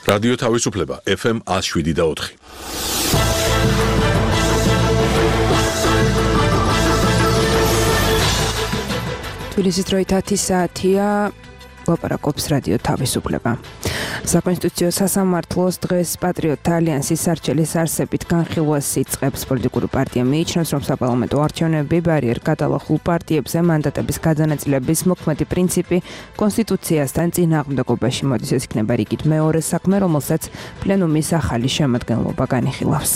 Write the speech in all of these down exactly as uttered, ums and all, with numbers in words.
რადიო თავისუფლება ეფ ემ one oh seven და four. თბილისის დროით ათი საათია, ლაპარაკობს რადიო თავისუფლება. საკონსტიტუციო სასამართლოს დღეს პატრიოტთა ალიანსის სარჩელის არსებით განხილვას იწყებს. პოლიტიკური პარტია მიიჩნევს, რომ საპარლამენტო არჩევნები ბარიერ გადალახულ პარტიებზე მანდატების გადანაწილების მოქმედი პრინციპი კონსტიტუციასთან წინააღმდეგობაში მოდის. ეს იქნება რიგით მეორე საქმე, რომელსაც პლენუმის ახალი შემადგენლობა განიხილავს.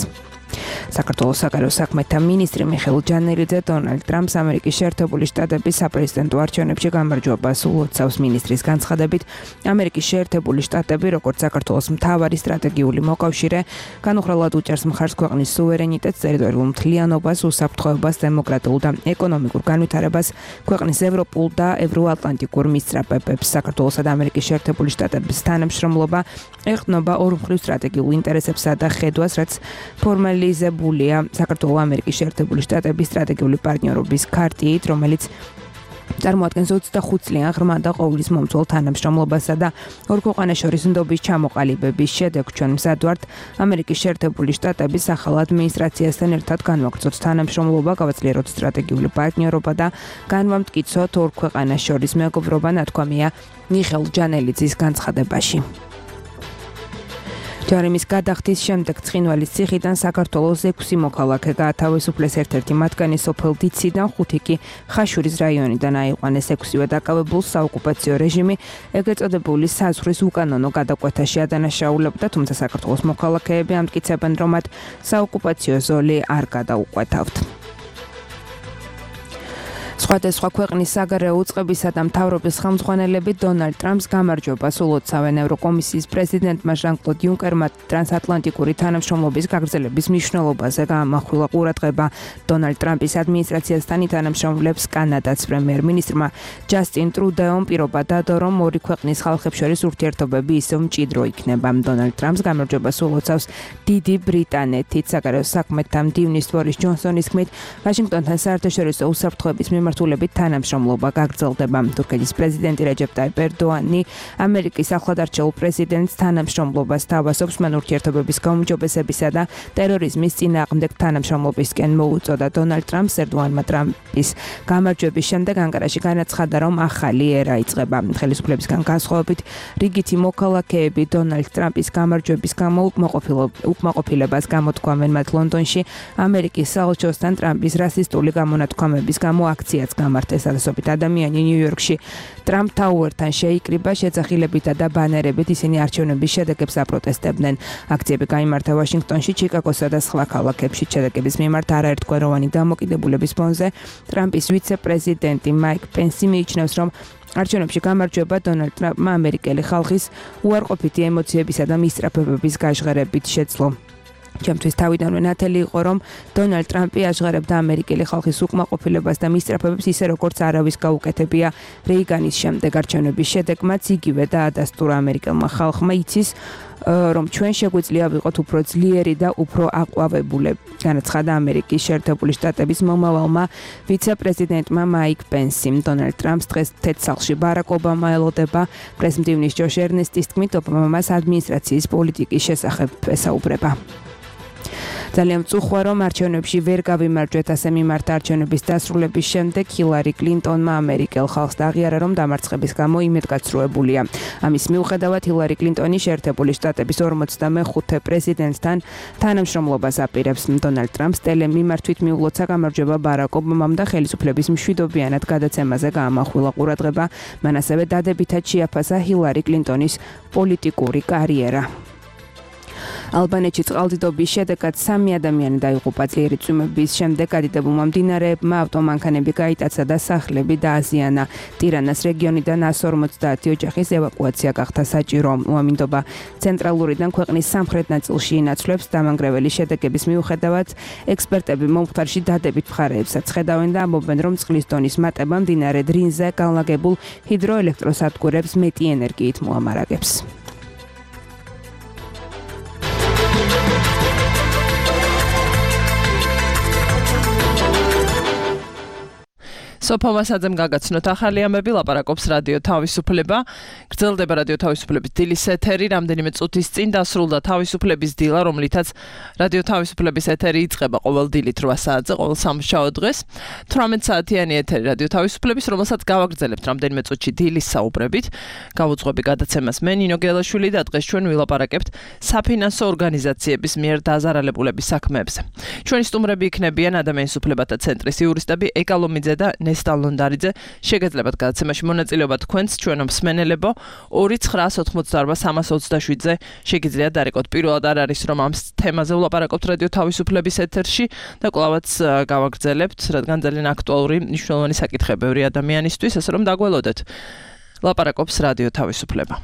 საქართველოს საგარეო საქმეთა მინისტრი მიხეილ ჯანელიძე დონალდ ტრამპს ამერიკის შეერთებული შტატების საპრეზიდენტო არჩევნებში გამარჯვებას ულოცავს. მინისტრის განცხადებით, ამერიკის შეერთებული შტატები, როგორც საქართველოს მთავარი სტრატეგიული მოკავშირე, განუხრელად უჭერს მხარს ქვეყნის სუვერენიტეტს, ტერიტორიულ მთლიანობას, უსაფრთხოებას, დემოკრატიულ და ეკონომიკურ განვითარებას, ქვეყნის ევროპულ და ევროატლანტიკურ მისწრაფებებს. საქართველოსა და ამერიკის შეერთებული შტატების თანამშრომლობა ეყრდნობა ორმხრივ სტრატეგიულ ინტერესებსა და ხედვას, რაც ფორმალიზებულია საქართველოს ამერიკის შეერთებული შტატების სტრატეგიული პარტნიორობის ქარტიით, რომელიც წარმოადგენს ოცდახუთ წლიან ღრმა და ყოვლის მომცველ თანამშრომლობასა და ორ ქვეყანას შორის ნდობის ჩამოყალიბების შედეგ ჩვენ მზად ვართ ამერიკის შეერთებული შტატების ახალ ადმინისტრაციასთან ერთად განვაგრძოთ თანამშრომლობა, გავაძლიეროთ სტრატეგიული პარტნიორობა და განვამტკიცოთ ორ ქვეყანას შორის მეგობრობა, ნათქვამია მიხეილ ჯანელიძის განცხადებაში. ჯარიმის გადახდის შემდეგ ცხინვალის ციხიდან საქართველოს ექვსი მოქალაქე გაათავისუფლეს, ერთ-ერთი მათგანი სოფელ დიციდან, ხუთი კი ხაშურის რაიონიდან აიყვანეს. ექვსივე დაკავებულს საოკუპაციო რეჟიმი ეგრეთ წოდებული საზღვრის უკანონო გადაკვეთაში ადანაშაულებდა, თუმცა საქართველოს მოქალაქეები ამტკიცებენ, რომ მათ საოკუპაციო ზოლი არ გადაუყვეთავთ. სხვადასხვა ქვეყნის საგარეო უწყებისა და მთავრობის ხელმძღვანელები დონალდ ტრამპს გამარჯვებას ულოცავენ. ევროკომისიის პრეზიდენტმა ჟან-კლოდ იუნკერმა ტრანსატლანტიკური თანამშრომლობის გაგრძელების მნიშვნელობაზე გაამახვილა ყურადღება. დონალდ ტრამპის ადმინისტრაციასთან თანამშრომლებს კანადაც პრემიერ-მინისტრმა ჯასტინ ტრუდეომ პირობა დადო, რომ ორი ქვეყნის ხალხებს შორის ურთიერთობები ისევ მჭიდრო იქნება. დონალდ ტრამპს გამარჯვებას ულოცავს დიდი ბრიტანეთით. საგარეო საქმეთა მდივნის ბორის ჯონსონის თქმით, ვაშინგტონთან საერთაშორისო უსაფრთხოების მიმართულებით თანამშრომლობა გაგრძელდება. თურქეთის პრეზიდენტი რეჯეპ ტაიპ ერდოანი ამერიკის ახლად არჩეულ პრეზიდენტს თანამშრომლობას თავასობს. მან ურთიერთობების გაუმჯობესებისა და ტერორიზმის წინააღმდეგ თანამშრომლობისკენ მოუწოდა. დონალდ ტრამპს ერდოანმა ტრამპის გამარჯვების შემდეგ ანკარაში განაცხადა, რომ ახალი ერა იწყება. ხელისუფლებისგან განსხვავებით, რიგითი მოქალაქეები დონალდ ტრამპის გამარჯვების გამო უკმაყოფილებას გამოთქვამენ. მათ ლონდონში ამერიკის საელჩოსთან ტრამპის რასისტული გამონათქვამების გამო აქციაც გამართეს. ასობით ადამიანი ნიუ-იორკში ტრამპ ტაუერთან შეიკრიბა, შეძახილებითა და ბანერებით ისინი არჩევნების შედეგებს აპროტესტებდნენ. აქციები გაიმართა ვაშინგტონში, ჩიკაგოსა და სხვა ქალაქებში. შედეგების მიმართ არაერთგვაროვანი დამოკიდებულების ფონზე ტრამპის ვიცე-პრეზიდენტი მაიკ პენსი მიიჩნევს, რომ არჩევნებში გამარჯვება დონალდ ტრამპმა ამერიკელი ხალხის უარყოფითი ემოციებისა და მისწრაფებების გაჟღერებით შეძლო. ჩემთვის თავიდანვე ნათელი იყო, რომ დონალდ ტრამპი აჟღერებდა ამერიკელი ხალხის უკმაყოფილებას და მისწრაფებებს ისე, როგორც არავის გაუკეთებია რეიგანის შემდეგ. არჩევნების შედეგმაც იგივე დაადასტურა ამერიკელმა ხალხმა, იცის, რომ ჩვენ შეგვიძლია ვიყოთ უფრო ძლიერი და უფრო აყვავებულები. განაცხადა ამერიკის შეერთებული შტატების მომავალმა ვიცე-პრეზიდენტმა მაიკ პენსიმ. დონალდ ტრამპს დღეს თეთრ-სახლში ბარაკ ობამა ელოდება. პრეს-მდივნის ჯოშ ერნესტის თქმით, ობამა მას ადმინისტრაციის პოლიტიკის შესახებ ესაუბრება. ძალიან მწუხვა, რომ არჩევნებში ვერ გავიმარჯვეთ, ასე მიმართა არჩევნების დასრულების შემდეგ ჰილარი კლინტონმა ამერიკელ ხალხს აღიარა, რომ დამარცხების გამო იმედგაცრუებულია. ამის მიუხედავად ჰილარი კლინტონი შეერთებული შტატების ორმოცდამეხუთე პრეზიდენტთან თანამშრომლობას აპირებს. დონალდ ტრამპს ტელემიმართვით მიულოცა გამარჯვება ბარაკ ობამამ და ხელისუფლების მშვიდობიანად გადაცემაზე გაამახვილა ყურადღება. მან ასევე დადებითად შეაფასა ჰილარი კლინტონის პოლიტიკური კარიერა. ალბანეთში წყალდიდობის შედეგად სამი ადამიანი დაიღუპა. ძლიერი წვიმების შემდეგ გადიდებულმა მდინარეებმა ავტომანქანები გაიტაცა და სახლები დააზიანა. ტირანას რეგიონიდან ას ორმოცდაათი ოჯახის ევაკუაცია გახდა საჭირო. უამინდობა ცენტრალურიდან ქვეყნის სამხრეთ ნაწილში ინაცვლებს. დამანგრეველი შედეგების მიუხედავად, ექსპერტები მომხდარში დადებით მხარეებსაც ხედავენ და ამბობენ, რომ წყლის დონის მატება მდინარე დრინზე განლაგებულ ჰიდროელექტროსადგურებს მეტი ენერგიით მოამარაგებს. სოფო მასაძემ გაგაცნოთ ახალი ამბები, ლაპარაკობს რადიო თავისუფლება. გრძელდება რადიო თავისუფლების დილის ეთერი, რამდენიმე წუთის წინ დასრულდა თავისუფლების დილა, რომლითაც რადიო თავისუფლების ეთერი იწყება ყოველ დილით რვა საათზე, ყოველ სამშაბათ დღეს. თვრამეტ საათიანი ეთერი რადიო თავისუფლების, რომელსაც გავაგრძელებთ რამდენიმე წუთში დილის საუბრებით. გავუძღვები გადაცემას მე ნინო გელაშვილი და დღეს ჩვენ ვილაპარაკებთ საფინანსო ორგანიზაციების მიერ დაზარალებულების საქმეებზე. ჩვენი სტუმრები იქნებიან ადამიანის უფლებათა ცენტრის იურისტები ეკალომიძე და ნესტა ლონდარიძე. შეგეძლებათ გადაცემაში მონაწილეობა თქვენს, ჩვენო მსმენელებო ორი ცხრაას ოცდაორბა სამას ოცდაშვიდზე შეგიძლიათ დარეკოთ. პირველად არ არის რომ ამ თემაზე ვლაპარაკობთ რადიო თავისუფლების ეთერში და კვლავაც გავაგრძელებთ, რადგან ძალიან აქტუალური მნიშვნელოვანი საკითხებია ადამიანისთვის, ასე რომ დაგველოდეთ. ლაპარაკობს რადიო თავისუფლება.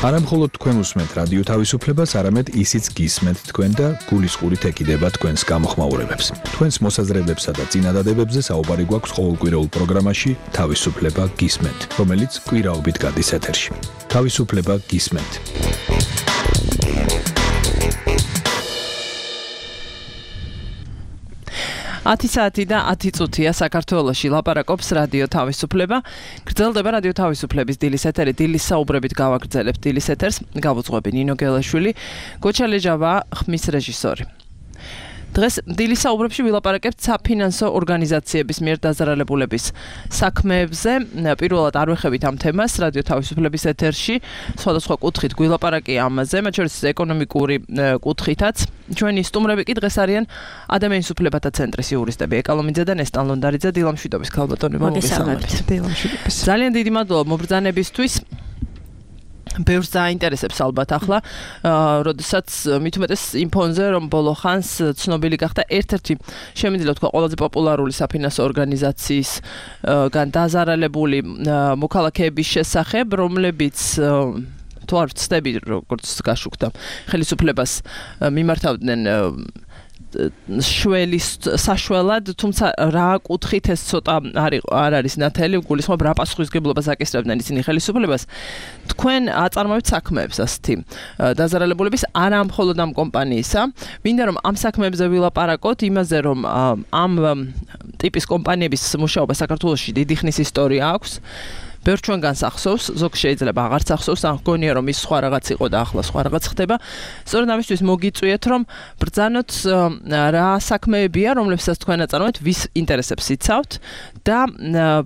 არა მხოლოდ თქვენ უსმენთ რადიო თავისუფლებას, არამედ ისიც გისმენთ თქვენ და გულისყურით ეკიდება თქვენს გამოხმაურებებს. თქვენს მოსაზრებებსა და წინადადებებზე საუბარი გვაქვს ყოველკვირეულ პროგრამაში თავისუფლება გისმენთ, რომელიც კვირაობით გადის ეთერში. თავისუფლება გისმენთ. ათი საათი და ათი წუთია საქართველოში ლაპარაკობს რადიო თავისუფლება. გრძელდება რადიო თავისუფლების დილის ეთერი. დილის საუბრებით გავაგრძელებთ დილის ეთერს. გავუძღვები ნინო გელაშვილი, გოჩა ლეჯავა ხმის რეჟისორი. დღეს დილის საუბრებში ვილაპარაკებთ საფინანსო ორგანიზაციების მიერ დაზარალებულების საქმეებზე. პირველად არ ვეხებით ამ თემას რადიო თავისუფლების ეთერში. სხვადასხვა კუთხით გვილაპარაკია ამაზე, მათ შორის ეკონომიკური კუთხითაც. ჩვენი სტუმრები კი დღეს არიან ადამიანის უფლებათა ცენტრის იურისტები ეკალომიძე და ნესტან ლონდარიძე. დილამშვიდობის ქალბატონებო, მოგესალმებით. დილამშვიდობის. ძალიან დიდი მადლობა მობრძანებისთვის. ბევრს დაინტერესებს ალბათ ახლა, როდესაც მით უმეტეს იმ ფონზე, რომ ბოლო ხანს ცნობილი გახდა ერთ-ერთი შემიძლია თქვა ყველაზე პოპულარული საფინანსო ორგანიზაციისგან დაზარალებული მოქალაქეების შესახებ, რომლებიც თუ არ ვცდები, როგორც გაშუქდა, ხელისუფლებას მიმართავდნენ შველის საშველად, თუმცა რა კუთხით ეს ცოტა არ არის ნათელი, გულისხმობ რა პასუხისგებლობას აკისრებდნენ ისინი ხელისუფლებას. თქვენ აწარმოებთ საქმეებს ასეთი დაზარალებულების, არა მხოლოდ ამ კომპანიისა. მინდა რომ ამ საქმეებზე ვილაპარაკოთ, იმაზე რომ ამ ტიპის კომპანიების მუშაობა საქართველოში დიდი ხნის ისტორია აქვს. ბევრ ჩვენგანს ახსოვს, ზოგ შეიძლება აღარც ახსოვს, ან გონია რომ ის სხვა რაღაც იყო და ახლა სხვა რაღაც ხდება. სწორედ ამისთვის მოგიწვიეთ რომ ბრძანოთ რა საქმეებია, რომლებსაც თქვენ აწარმოებთ, ვის ინტერესებს იცავთ და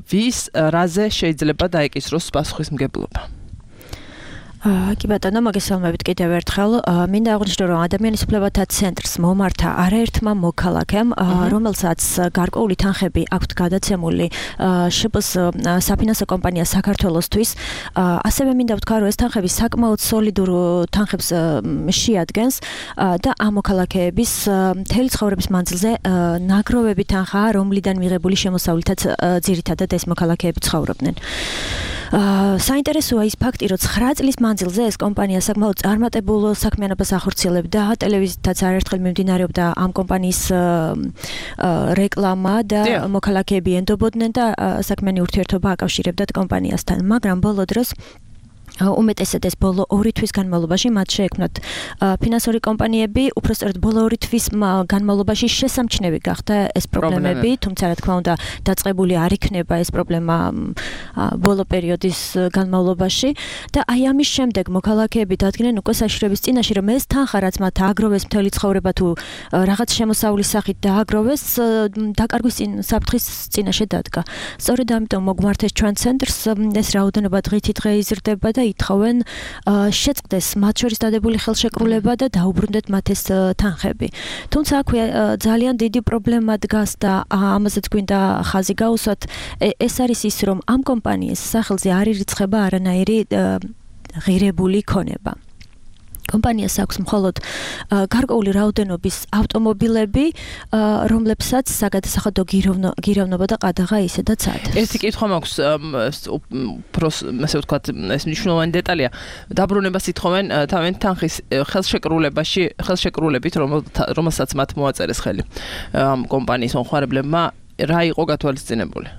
ვის რაზე შეიძლება დაეკისროს პასუხისმგებლობა. კი ბატონო, მოგესალმებით კიდევ ერთხელ. მინდა აღვნიშნო, რომ ადამიანის უფლებათა ცენტრს მომართა არაერთმა მოქალაქემ, რომელსაც გარკვეული თანხები აქვთ გადაცემული შპს საფინანსო კომპანია საქართველოსთვის. ასევე მინდა ვთქვა, რომ ეს თანხები საკმაოდ სოლიდურ თანხებს შეადგენს და ამ მოქალაქეების მთელი ცხოვრების მანძილზე ნაგროვები თანხაა, რომლიდან მიღებული შემოსავლითაც ძირითადად ეს მოქალაქეები ცხოვრობდნენ. საინტერესოა ის ფაქტი, რომ ცხრა წლის მანძილზე ეს კომპანია საკმაოდ წარმატებულ საქმიანობას ახორციელებდა, ტელევიზიითაც არაერთხელ მიმდინარეობდა ამ კომპანიის რეკლამა და მოქალაქეები ენდობოდნენ და საქმიანი ურთიერთობა აკავშირებდათ კომპანიასთან, მაგრამ ბოლო დროს უმეტესად ეს ბოლო ორი თვის განმავლობაში მათ შეექმნათ ფინანსური კომპანიები, უпростоრად ბოლო ორი თვის განმავლობაში შესამჩნევი გახდა ეს პრობლემები, თუმცა რა თქმა უნდა დაწყებული არ იქნება ეს პრობლემა ბოლო პერიოდის განმავლობაში და აი ამის შემდეგ მოქალაქეები დადგნენ უკვე საშიშროების წინაშე, რომ ეს თანხა რაც მათ ააგროვეს მთელი ცხოვრება თუ რაღაც შემოსავლის სახით დააგროვეს, დაკარგვის საფრთხის წინაშე დადგა. სწორედ ამიტომ მოგმართეს ჩვენ ცენტრს, ეს რაოდენობა დღითი დღე იზრდება და ითხოვენ შეწყდეს მათ შორის დადებული ხელშეკრულება და დაუბრუნდეთ მათ ეს თანხები. თუმცა აქვე ძალიან დიდი პრობლემა დგას და ამაზეც გვინდა ხაზი გაუსვათ. ეს არის ის, რომ ამ კომპანიის სახელზე არ ირიცხება არანაირი ღირებული ქონება. კომპანიას აქვს მხოლოდ გარკვეული რაოდენობის ავტომობილები, რომლებსაც საგადასახადო გიროვნობა და ყადაღა ისედაც ადეს. ერთი კითხვა მაქვს, ასე ვთქვათ, ეს მნიშვნელოვანი დეტალია. დაბრუნებას ითხოვენ თავენ თანხის ხელშეკრულებაში, ხელშეკრულებით, რომელსაც მათ მოაწერეს ხელი ამ კომპანიის მომხმარებლებმა, რა იყო გათვალისწინებული?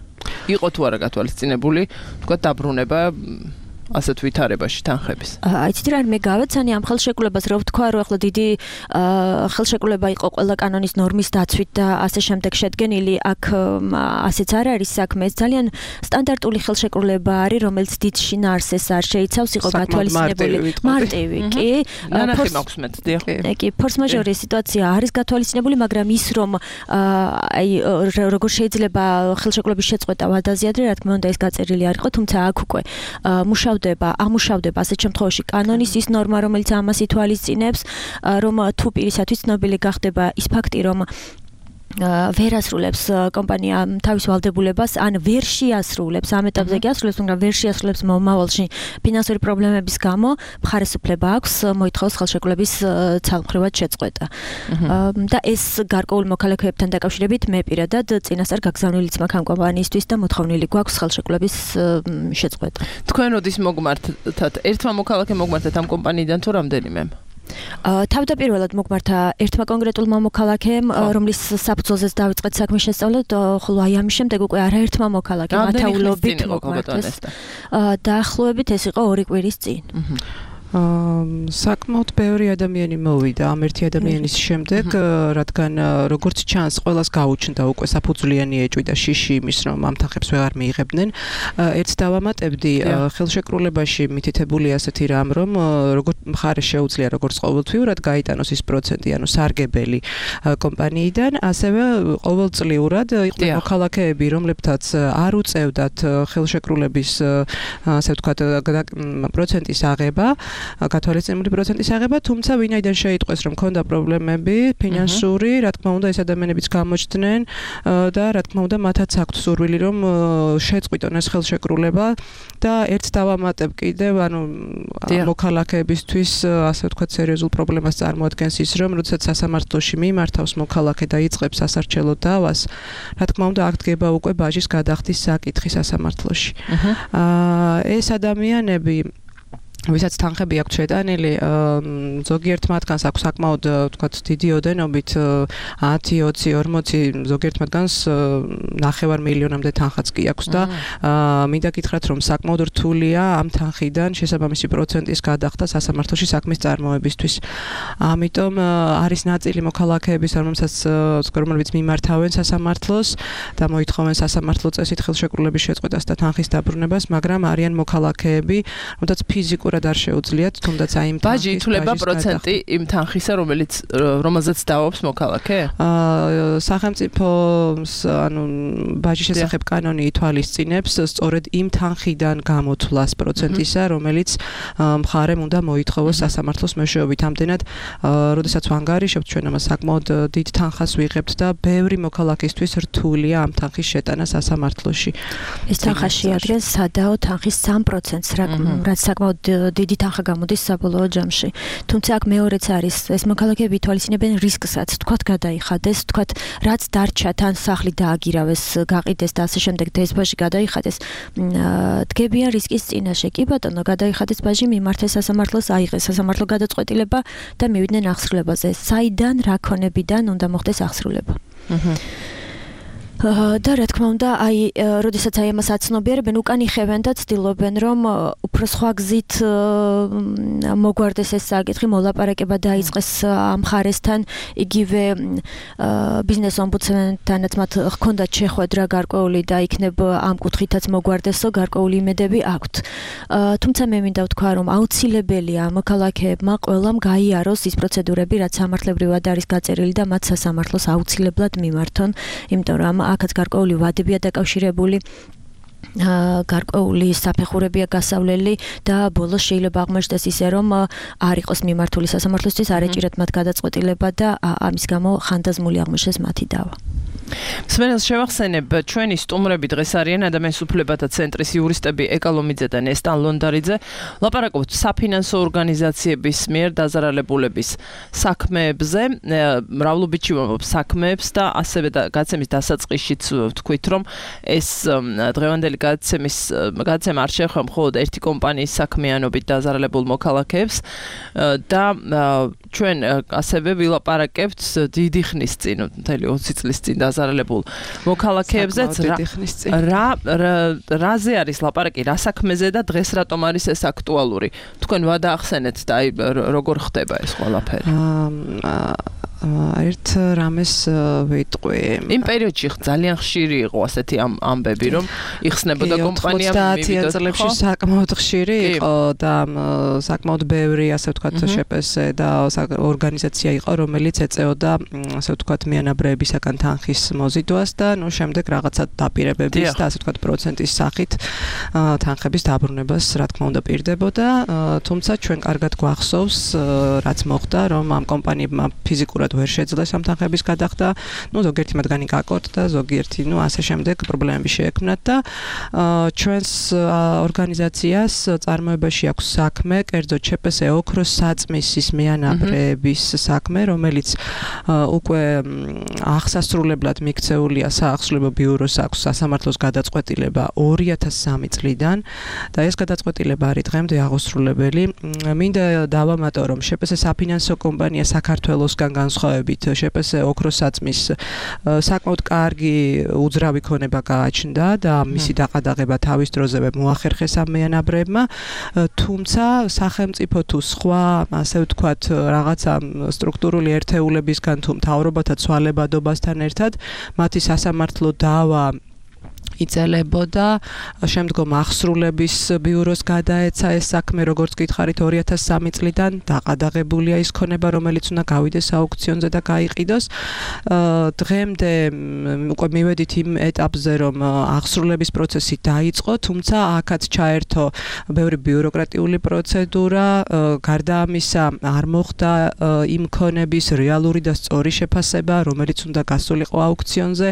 იყო თუ არა გათვალისწინებული, ვთქვათ, დაბრუნება ასეთ ვითარებაში თანხების. აიცით რა, მე გავეცანი ამ ხელშეკრულებას, რომ ვთქვა, რომ ახლა დიდი ხელშეკრულება იყო ყველა კანონის ნორმის დაცვით და ასე შემდეგ შედგენილი, აქ ასეც არ არის საქმე, ეს ძალიან სტანდარტული ხელშეკრულება არის, რომელიც დიდ შინაარსს არ შეიცავს, იყო გათვალისწინებული მარტივი, კი. ნანახი მაქვს მე, დიახ. კი, ფორს-მაჟორი სიტუაცია არის გათვალისწინებული, მაგრამ ის რომ აი როგორ შეიძლება ხელშეკრულების შეწყვეტა ვადაზიადრე, რა თქმა უნდა ეს გაწერილი არ იყო, თუმცა აქ უკვე მუშაობ ამუშავდება ასეთ შემთხვევაში კანონის ის ნორმა, რომელიც ამას ითვალისწინებს, რომ თუ პირისათვის ცნობილი გახდება ის ფაქტი, რომ ვერ ასრულებს კომპანია თავის ვალდებულებას, ან ვერ შეასრულებს, ამ ეტაპზე კი ასრულებს, მაგრამ ვერ შეასრულებს მომავალში ფინანსური პრობლემების გამო, მხარესუფლება აქვს მოითხოვოს ხელშეკრულების ცალმხრივად შეწყვეტა. და ეს გარკვეულ მოქალაქეებთან დაკავშირებით მე პირადად წინასწარ გაგზავნილიც მაქვს ამ კომპანიისთვის და მოთხოვნილი გვაქვს ხელშეკრულების შეწყვეტა. თქვენ როდის მოგმართათ? ერთმა მოქალაქემ მოგმართათ ამ კომპანიიდან თუ რამდენიმე? თავდაპირველად მოგმართა ერთმა კონკრეტულმა მოქალაქემ, რომლის საფუძველზეც დავიწყეთ საქმის შესწავლა, ხოლო აი ამის შემდეგ უკვე არაერთმა მოქალაქემ ათეულობით მოგმართეს. დაახლოებით ეს იყო ორი კვირის წინ. საკმაოდ ბევრი ადამიანი მოვიდა ამ ერთი ადამიანის შემდეგ, რადგან როგორც ჩანს, ყველას გაუჩნდა უკვე საფუძვლიანი ეჭვი და შიში იმის, რომ ამ თანხებს ვეღარ მიიღებდნენ. ერთს დავამატებდი, ხელშეკრულებაში მითითებული ასეთი რამ, რომ როგორც მხარეს შეუძლია როგორც ყოველთვიურად გაიტანოს ის პროცენტი, ანუ სარგებელი კომპანიიდან, ასევე ყოველწლიურად იყვნენ მოქალაქეები, რომლებთაც არ უწევდათ ხელშეკრულების, ასე ვთქვათ, პროცენტის აღება, გათვალისწინებული პროცენტის აღება, თუმცა ვინაიდან შეიტყვეს, რომ ქონდა პრობლემები ფინანსური, რა თქმა უნდა, ეს ადამიანებიც გამოჩნდნენ და რა თქმა უნდა, მათაც აქვთ სურვილი, რომ შეწყვიტონ ეს ხელშეკრულება და ერთს დავამატებ კიდევ, ანუ მოქალაქეებისთვის, ასე ვთქვათ, სერიოზულ პრობლემას წარმოადგენს ის, რომ როდესაც სასამართლოში მიმართავს მოქალაქე და იწყებს სასარჩელო დავას, რა თქმა უნდა, აქ დგება უკვე ბაჟის გადახდის საკითხი სასამართლოში. ეს ადამიანები ვისაც თანხები აქვთ შეტანილი, ზოგიერთ მათგანს აქვს საკმაოდ, ვთქვათ, დიდი ოდენობით ათი, ოცი, ორმოცი, ზოგიერთ მათგანს ნახევარ მილიონამდე თანხაც კი აქვს და მინდა გითხრათ, რომ საკმაოდ რთულია ამ თანხიდან შესაბამისი პროცენტის გადახდა სასამართლოში საქმის წარმოებისთვის. ამიტომ არის ნაწილი მოქალაქეების, რომლებიც მიმართავენ სასამართლოს და მოითხოვენ სასამართლო წესით ხელშეკრულების შეწყვეტას და თანხის დაბრუნებას, მაგრამ არიან მოქალაქეები, რომელთაც ფიზიკურად არ შეუძლიათ, თუნდაც აი იმ ბაჟი ითვლება პროცენტი იმ თანხისა, რომელიც რომელზეც დავობს მოქალაქე? აა სახელმწიფოს, ანუ ბაჟის შესახებ კანონი ითვალისწინებს სწორედ იმ თანხიდან გამოთვლას პროცენტისა, რომელიც მხარემ უნდა მოითხოვოს სასამართლოს მეშვეობით. ამდენად, როდესაც ვანგარიშობთ, ჩვენ ამას საკმაოდ დიდ თანხას ვიღებთ და ბევრი მოქალაქისთვის რთულია ამ თანხის შეტანა სასამართლოში. ეს თანხა შეადგენს სადაო თანხის სამ პროცენტს, რაც საკმაოდ დიდი თანხა გამოდის საბოლოო ჯამში. თუმცა აქ მეორეც არის, ეს მოქალაქეები ითვალისწინებენ რისკსაც, თქვათ გადაიხადეს, თქვათ რაც დარჩა, თან სახლი დააგირავეს, გაყიდეს და ასე შემდეგ და ეს ბაჟი გადაიხადეს, დგებიან რისკის წინაშე. კი ბატონო, გადაიხადეს ბაჟი, მიმართეს სასამართლოს, აიღეს სასამართლო გადაწყვეტილება და მივიდნენ აღსრულებაზე. საიდან, რა ქონებიდან უნდა მოხდეს აღსრულება? და რა თქმა უნდა, აი, როდესაც აი ამას აცნობიერებენ, უკან იხევენ და ცდილობენ, რომ უფრო სხვა გზით მოგვარდეს ეს საკითხი, მოლაპარაკება დაიწყეს ამ მხარესთან, იგივე ბიზნეს ომბუდსმენთანაც მათ ჰქონდათ შეხვედრა გარკვეული და იქნებ ამ კუთხითაც მოგვარდესო, გარკვეული იმედები აქვთ. თუმცა მე მინდა ვთქვა, რომ აუცილებელია მოქალაქეებმა ყველამ გაიაროს ის პროცედურები, რაც სამართლებრივად არის გაწერილი და მათ სასამართლოს აუცილებლად მიმართონ, იმიტომ რომ აქაც გარკვეული ვადებია დაკავშირებული, გარკვეული საფეხურებია გასავლელი და ბოლოს შეიძლება აღმოჩნდეს ისე, რომ არ იყოს მიმართული სასამართლოსთვის, არ ეჭირათ მათ გადაწყვეტილება და ამის გამო ხანდაზმული აღმოჩნდეს მათი დავა. მსმენელს შევახსენებ, ჩვენი სტუმრები დღეს არიან ადამიანის უფლებათა ცენტრის იურისტები ეკალომიძე და ნესტან ლონდარიძე. ლაპარაკობთ საფინანსო ორგანიზაციების მიერ დაზარალებულების საქმეებზე, მრავლობითში ვამბობ საქმეებს და ასევე გაცემის დასაწყისშიც ვთქვით, რომ ეს დღევანდელი გაცემის გაცემა არ შეეხება მხოლოდ ერთი კომპანიის საქმიანობით დაზარალებულ მოქალაქეებს და ჩვენ ასევე ვილაპარაკებთ დიდი ხნის წინ, მთელი ოცი წლის წინ დაზარალებულ მოქალაქეებზეც რა რაზე არის ლაპარაკი, რა საქმეზე და დღეს რატომ არის ეს აქტუალური? თქვენ ვადაახსენეთ და აი როგორ ხდება ეს ყველაფერი? ერთ რამეს ვიტყვი. იმ პერიოდში ძალიან ხშირი იყო ასეთი ამბები, რომ იხსნებოდა კომპანია ოცდაათიან წლებში საკმაოდ ხშირი იყო და საკმაოდ ბევრი, ასე ვთქვათ, შეპესე და ორგანიზაცია იყო, რომელიც ეწეოდა, ასე ვთქვათ, მიანაბრეებისაგან თანხის მოზიდვას და ნუ შემდეგ რაღაცა დაპირებების და ასე ვთქვათ, პროცენტის სახით თანხების დაბრუნებას, რა თქმა უნდა, პირდებოდა. თუმცა ჩვენ კარგად გვახსოვს, რაც მოხდა, რომ ამ კომპანიებმა ფიზიკურად ვერ შეძლეს ამ თანხების გადახდა, ნუ ზოგიერთი მათგანი გაკორტდა, ზოგიერთი, ნუ ასე შემდეგ პრობლემები შეექმნათ და ჩვენს ორგანიზაციას წარმოებაში აქვს საქმე, კერძოდ ჩპს ოქროს საწმისის მიანაბრეების საქმე, რომელიც უკვე აღსასრულებლად მიქცეულია საახსრულებო ბიუროს აქვს სასამართლოს გადაწყვეტილება ორი ათას სამი წლიდან და ეს გადაწყვეტილება არის დღემდე აღოსრულებელი. მინდა დავამატო, რომ შპს საფინანსო კომპანია საქართველოსგან განსხვავდება განსხვავებით შეპს ოქროსაწმის საკმაოდ კარგი უძრავი ქონება გააჩნდა და მისი დაყადაღება თავის დროზე მოახერხეს ამ მეანაბრეებმა, თუმცა სახელმწიფო თუ სხვა, ასე ვთქვათ, რაღაცა სტრუქტურული ერთეულებისგან თუ მთავრობათა ცვალებადობასთან ერთად მათი სასამართლო დავა იწელებოდა, შემდგომ აღსრულების ბიუროს გადაეცა ეს საქმე, როგორც გითხარით ორი ათას სამი წლიდან დაყადაღებულია ის ქონება, რომელიც უნდა გავიდეს აუქციონზე და გაიყიდოს. დღემდე უკვე მივედით იმ ეტაპზე, რომ აღსრულების პროცესი დაიწყო, თუმცა აქაც ჩაერთო ბევრი ბიუროკრატიული პროცედურა, გარდა ამისა არ მოხდა იმ ქონების რეალური და სწორი შეფასება, რომელიც უნდა გასულიყო აუქციონზე.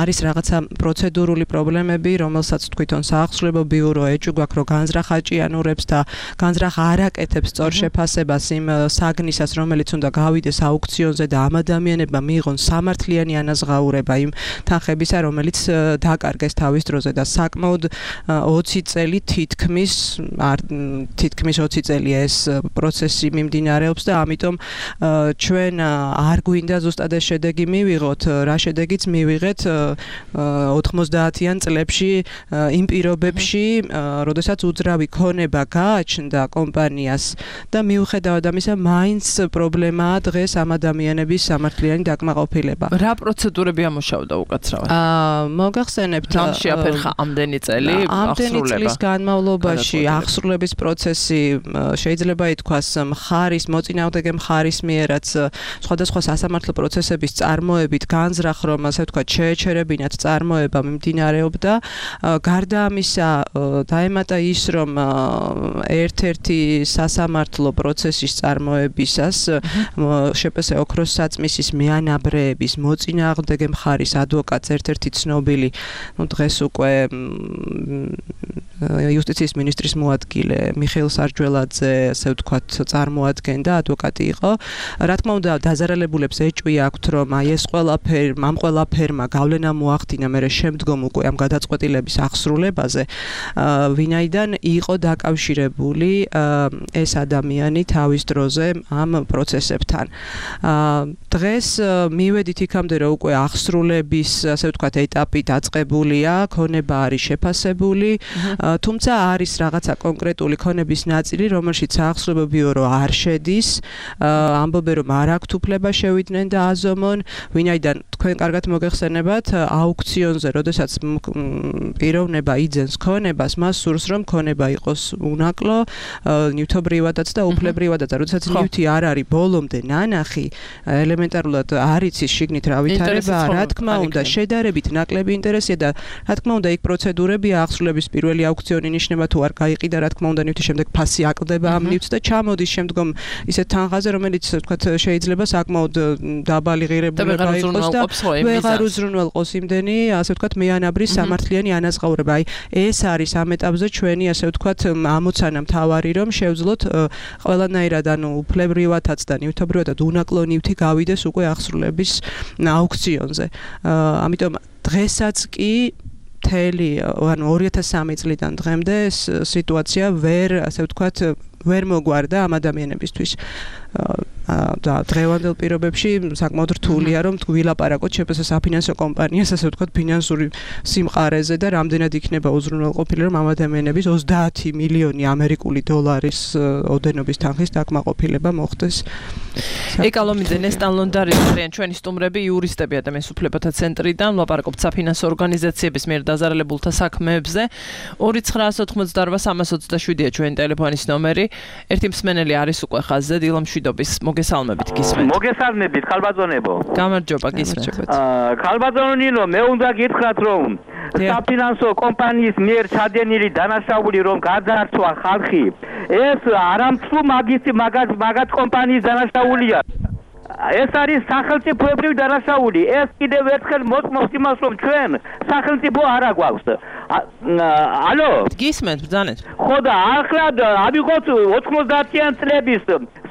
არის რაღაცა პროცედურა პროცედურული პრობლემები, რომელსაც თვითონ საახსრულებო ბიურო ეჭვგაქვს, რომ განზრახ აჭიანურებს და განზრახ არ აკეთებს სწორ შეფასებას იმ საგნისას, რომელიც უნდა გავიდეს აუქციონზე და ამ ადამიანებმა მიიღონ სამართლიანი ანაზღაურება იმ თანხებისა, რომელიც დაკარგეს თავის დროზე და საკმაოდ ოცი წელი თითქმის თითქმის ოცი წელი ეს პროცესი მიმდინარეობს და ამიტომ ჩვენ არ გვინდა ზუსტად ეს შედეგი მივიღოთ, რა შედეგიც მივიღეთ ოთხმოცდაათიან წლებში იმ პირობებში, როდესაც უძრავი ქონება გააჩნდა კომპანიას და მიუხედავად ამისა, მაინც პრობლემაა დღეს ამ ადამიანების სამართლიანი დაკმაყოფილება. რა პროცედურები ამუშავდა უკაცრავად? აა მოგახსენებთ, რამ შეაფერხა ამდენი წელი ამდენი წლის განმავლობაში აღსრულების პროცესი შეიძლება ითქვას მხარის მოწინააღმდეგე მხარის მიერაც სხვადასხვა სასამართლო პროცესების წარმოებით განზრახ, რომ ასე ვთქვათ, შეეჩერებინათ წარმოება მიმდინარეობდა. გარდა ამისა, დაემატა ის, რომ ერთ-ერთი სასამართლო პროცესის წარმოებისას შეპს ოქროსაწმისის მეანაბრეების მოწინააღმდეგე მხარის ადვოკატს ერთ-ერთი ცნობილი, ну დღეს უკვე იუსტიციის მინისტრის მოადგილე მიხეილ სარჯველაძე, ასე ვთქვათ, წარმოადგენდა, ადვოკატი იყო. რა თქმა უნდა, დაზარალებულებს ეჭვი აქვთ, რომ აი ეს ყველაფერი, ამ ყველაფერმა გავლენა მოახდინა მერე შემდგომ უკვე ამ გადაწყვეტილების აღსრულებაზე, ვინაიდან იყო დაკავშირებული ეს ადამიანი თავის დროზე ამ პროცესებთან. დღეს მივედით იქამდე, რომ უკვე აღსრულების, ასე ვთქვათ, ეტაპი დაწყებულია, ქონება არის შეფასებული, თუმცა არის რაღაცა კონკრეტული ქონების ნაწილი, რომელშიც საახსრულებო ბიურო არ შედის, ამბობენ, რომ არ აქვთ უფლება შევიდნენ და აზომონ, ვინაიდან თქვენ კარგად მოგეხსენებათ, აუქციონზე, როდესაც პიროვნება იძენს ქონებას, მას სურს, რომ ქონება იყოს უნაკლო, ნივთობრივადაც და უფლებრივადაც, როდესაც ნივთი არ არის ბოლომდე ნანახი, ელემენტარულად არ იცის შიგნით რა ვითარებაა, რა თქმა უნდა, შედარებით ნაკლები ინტერესია და რა თქმა უნდა, იქ პროცედურებია, აღსრულების პირველი აუქციონი ნიშნება თუ არ გაიყიდა, რა თქმა უნდა, ნივთი შემდეგ ფასი აკლდება ამ ნივთს და ჩამოდის შემდგომ ისეთ თანხაზე, რომელიც თქვათ შეიძლება საკმაოდ დაბალი ღირებული გაიყოს და ვეღარ უზრუნველყოს იმდენი, ასე ვთქვათ, მეანაბრის სამართლიანი ანაზღაურება. აი, ეს არის ამ ეტაპზე ჩვენი, ასე ვთქვათ, ამოცანა მთავარი, რომ შევძლოთ ყველანაირად, ანუ უფლებრივადაც და ნივთობრივადაც უნაკლო ნივთი გავიდეს უკვე აღსრულების აუქციონზე. ამიტომ დღესაც კი მთელი, ანუ ორი ათას სამი წლიდან დღემდე სიტუაცია ვერ, ასე ვთქვათ, ვერ მოგვარდა ამ ადამიანებისთვის. და დღევანდელ პირობებში საკმაოდ რთულია, რომ ვილაპარაკოთ შეპს საფინანსო კომპანიას, ასე ვთქვათ, ფინანსური სიმყარეზე და რამდენად იქნება უზრუნველყოფილი, რომ ამ ადამიანების ოცდაათი მილიონი ამერიკული დოლარის ოდენობის თანხის დაკმაყოფილება მოხდეს. ეკალომიძე, ნესტან ლონდარი არიან ჩვენი სტუმრები, იურისტები ადამიანის უფლებათა ცენტრიდან, ვლაპარაკობთ საფინანსო ორგანიზაციების მიერ დაზარალებულთა საქმეებზე. ორი ცხრაას ოთხმოცდაორ სამას ოცდაშვიდია ჩვენი ტელეფონის ნომერი. ერთი მსმენელი არის უკვე ხაზზე, დილა მშვიდობის. მოგესალმებით, გისმენთ. მოგესალმებით, ხალბატონებო. გამარჯობა, გისმენთ. აა, ხალბატონო ნინო, მე უნდა გითხრათ, რომ საფინანსო კომპანიის მიერ ჩადენილი დანაშაული რომ გაძარცვა ხალხი, ეს არამცლუ მაგისტი მაგათ მაგათ კომპანიის დანაშაულია. ეს არის სახელმწიფოებრივი დანაშაული. ეს კიდევ ერთხელ მოწმობს იმას, რომ ჩვენ სახელმწიფო არ აგვაქვს. ალო? გისმენთ, ბრძანეთ. ხო და ახლა ავიღოთ ოთხმოცდაათიან წლების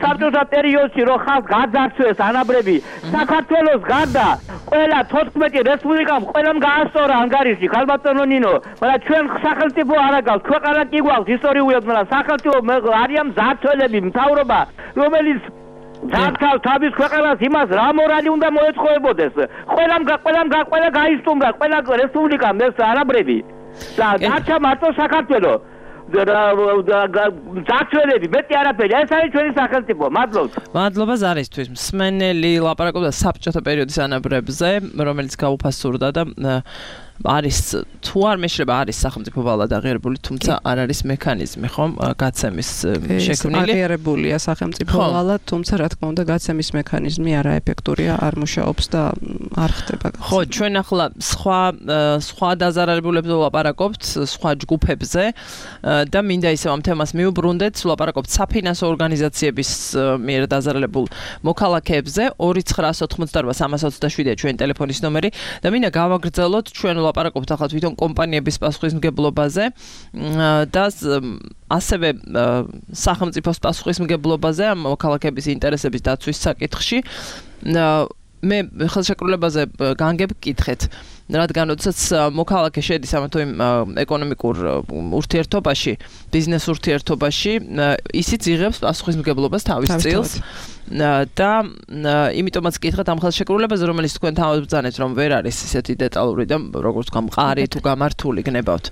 საბჭოთა პერიოდში, რომ ხალხ გაძარცვეს ანაბრები, საქართველოს გარდა ყველა თოთხმეტი რესპუბლიკამ ყველამ გაასწორა ანგარიში, ხალბატონო ნინო, მაგრამ ჩვენ სახელმწიფო არ აგვაქვს, ქვეყანა კი გვაქვს ისტორიულად, მაგრამ სახელმწიფო არიან მძარცველები, მთავრობა, რომელიც დაკავ თავის ქვეყანას იმას რა მორალი უნდა მოეწყობოდეს. ყველამ ყველამ ყველა გაისტუმრა, ყველა რესპუბლიკამ ეს არაბრები. და დარჩა მარტო საქართველოს დაცველები, მეტი არაფერი. ეს არის ჩვენი სახელმწიფო. მადლობთ. მადლობა ზარისთვის. მსმენელი ლაპარაკობდა საბჭოთა პერიოდის ანაბრებზე, რომელიც გაუფასურდა და არის თუ არ მეშლება არის სახელმწიფო ვალად აღიარებული, თუმცა არ არის მექანიზმი, ხომ, გაცემის შექმნილი. აღიარებულია სახელმწიფო ვალად, თუმცა რა თქმა უნდა გაცემის მექანიზმი არაეფექტურია, არ მუშაობს და არ ხდება. ხო, ჩვენ ახლა სხვა სხვა დაზარალებულებზე ვლაპარაკობთ, სხვა ჯგუფებზე და მინდა ისევ ამ თემას მიუბრუნდეთ, ვლაპარაკობთ საფინანსო ორგანიზაციების მიერ დაზარალებულ მოქალაქეებზე. ორი ცხრაას ოთხმოცდაორბა სამას ოცდაშვიდია ჩვენი ტელეფონის ნომერი და მინდა გავაგრძელოთ ჩვენ ლაპარაკობთ ახლა თვითონ კომპანიების პასუხისმგებლობაზე და ასევე სახელმწიფოს პასუხისმგებლობაზე ამ მოქალაქეების ინტერესების დაცვის საკითხში. მე ხელშეკრულებაზე განგებ გკითხეთ, რადგან როდესაც მოქალაქე შედის ამა თუ იმ ეკონომიკურ ურთიერთობაში, ბიზნეს ურთიერთობაში, ისიც იღებს პასუხისმგებლობას თავის წილს. და იმიტომაც გკითხეთ ამ ხელშეკრულებაზე, რომელიც თქვენ თავაზბრძანეთ, რომ ვერ არის ისეთი დეტალური და როგორც თქვა მყარი თუ გამართული გნებავთ.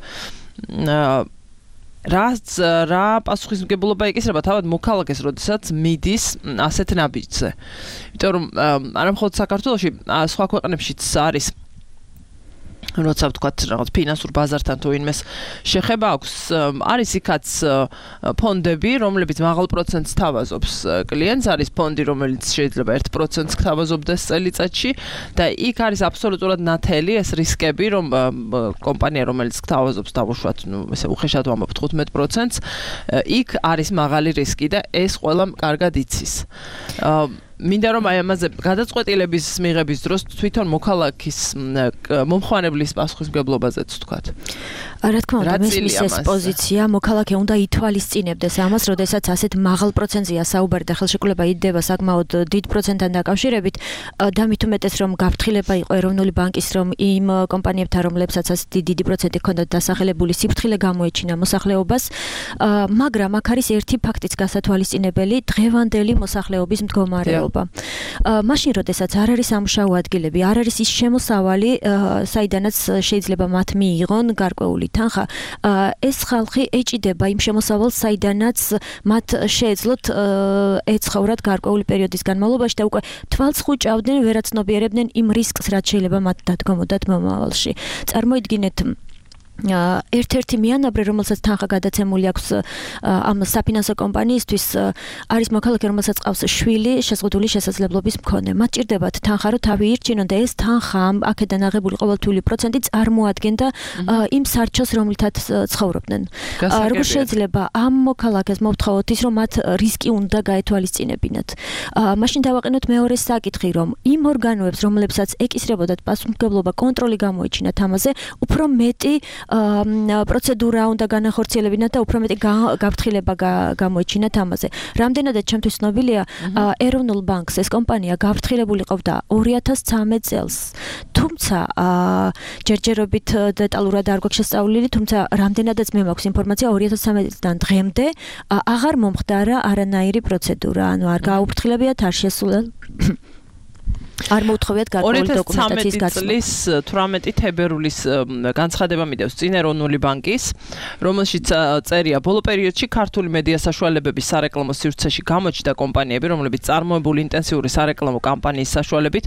რაც რა პასუხისმგებლობა ეკისრება თავად მოქალაქეს, როდესაც მიდის ასეთ ნაბიჯზე. იმიტომ რომ არა მხოლოდ საქართველოში, სხვა ქვეყნებშიც არის როცა ვთქვათ რაღაც ფინანსურ ბაზართან თუ ინმეს შეხება აქვს, არის იქაც ფონდები, რომლებიც მაღალ პროცენტს თავაზობს კლიენტს, არის ფონდი, რომელიც შეიძლება ერთ პროცენტს თავაზობდეს წელიწადში და იქ არის აბსოლუტურად ნათელი ეს რისკები, რომ კომპანია, რომელიც თავაზობს დავუშვათ, ნუ ესე უხეშად ვამბობ თხუთმეტ პროცენტს, იქ არის მაღალი რისკი და ეს ყველამ კარგად იცის. მინდა რომ აი ამაზე გადაწყვეტილების მიღების დროს თვითონ მოქალაქის მომხმარებლის პასუხისმგებლობაზეც ვთქვათ. რა თქმა უნდა, მის ეს პოზიცია მოქალაქე უნდა ითვალისწინებდეს ამას, როდესაც ასეთ მაღალ პროცენტზეა საუბარი და ხელშეკრულება იდება საკმაოდ დიდ პროცენტთან დაკავშირებით და მით უმეტეს რომ გაფრთხილება იყო ეროვნული ბანკის, რომ იმ კომპანიებთან, რომლებსაც ასეთი დიდი პროცენტი ჰქონდათ დასახელებული, სიფრთხილე გამოეჩინა მოსახლეობას, მაგრამ აქ არის ერთი ფაქტიც გასათვალისწინებელი, დღევანდელი მოსახლეობის მდგომარეობა. მაშინ როდესაც არ არის სამუშაო ადგილები, არ არის ის შემოსავალი, საიდანაც შეიძლება მათ მიიღონ გარკვეული თანხა, ეს ხალხი ეჭიდება იმ შემოსავალს, საიდანაც მათ შეეძლოთ ეცხოვრათ გარკვეული პერიოდის განმავლობაში და უკვე თვალს ხუჭავდნენ, ვერაცნობიერებდნენ იმ რისკს, რაც შეიძლება მათ დადგომოდათ მომავალში. წარმოიდგინეთ ერთ-ერთი მიანაბრე, რომელსაც თანხა გადაცემული აქვს ამ საფინანსო კომპანიისთვის, არის მოქალაქე, რომელსაც ყავს შვილი შეზღუდული შესაძლებლობის მქონე. მათ ჭირდებათ თანხა, რომ თავი ირჩინონ და ეს თანხა აქედან აღებული ყოველთვიური პროცენტი წარმოადგენდა იმ სარჩოს, რომლითაც ცხოვრობდნენ. როგორ შეიძლება ამ მოქალაქეს მოვთხოვოთ ის, რომ მათ რისკი უნდა გაეთვალისწინებინათ. მაშინ დავაყენოთ მეორე საკითხი, რომ იმ ორგანოებს, რომლებსაც ეკისრებოდათ პასუხისმგებლობა, კონტროლი გამოეჩინათ ამაზე, უფრო მეტი პროცედურა უნდა განახორციელებინათ და უფრო მეტი გაფრთხილება გამოეჩინათ ამაზე. რამდენადაც ჩემთვის ცნობილია, ეროვნულ ბანკს ეს კომპანია გაფრთხილებული ყოფდა ორი ათას ცხრამეტ წელს. თუმცა ჯერჯერობით დეტალურად არ გვაქვს შესწავლილი, თუმცა რამდენადაც მე მაქვს ინფორმაცია, ორი ათას ცხრამეტი წლიდან დღემდე აღარ მომხდარა არანაირი პროცედურა, ანუ არ გააუფრთხილებიათ, არ შესულა არ მოუთხოვიათ გარკვეული დოკუმენტაციის გაცნობა. წლის თვრამეტი თებერვლის განცხადება მიდევს წინ ეროვნული ბანკის, რომელშიც წერია ბოლო პერიოდში ქართული მედია საშუალებების სარეკლამო სივრცეში გამოჩნდა კომპანიები, რომლებიც წარმოებული ინტენსიური სარეკლამო კამპანიის საშუალებით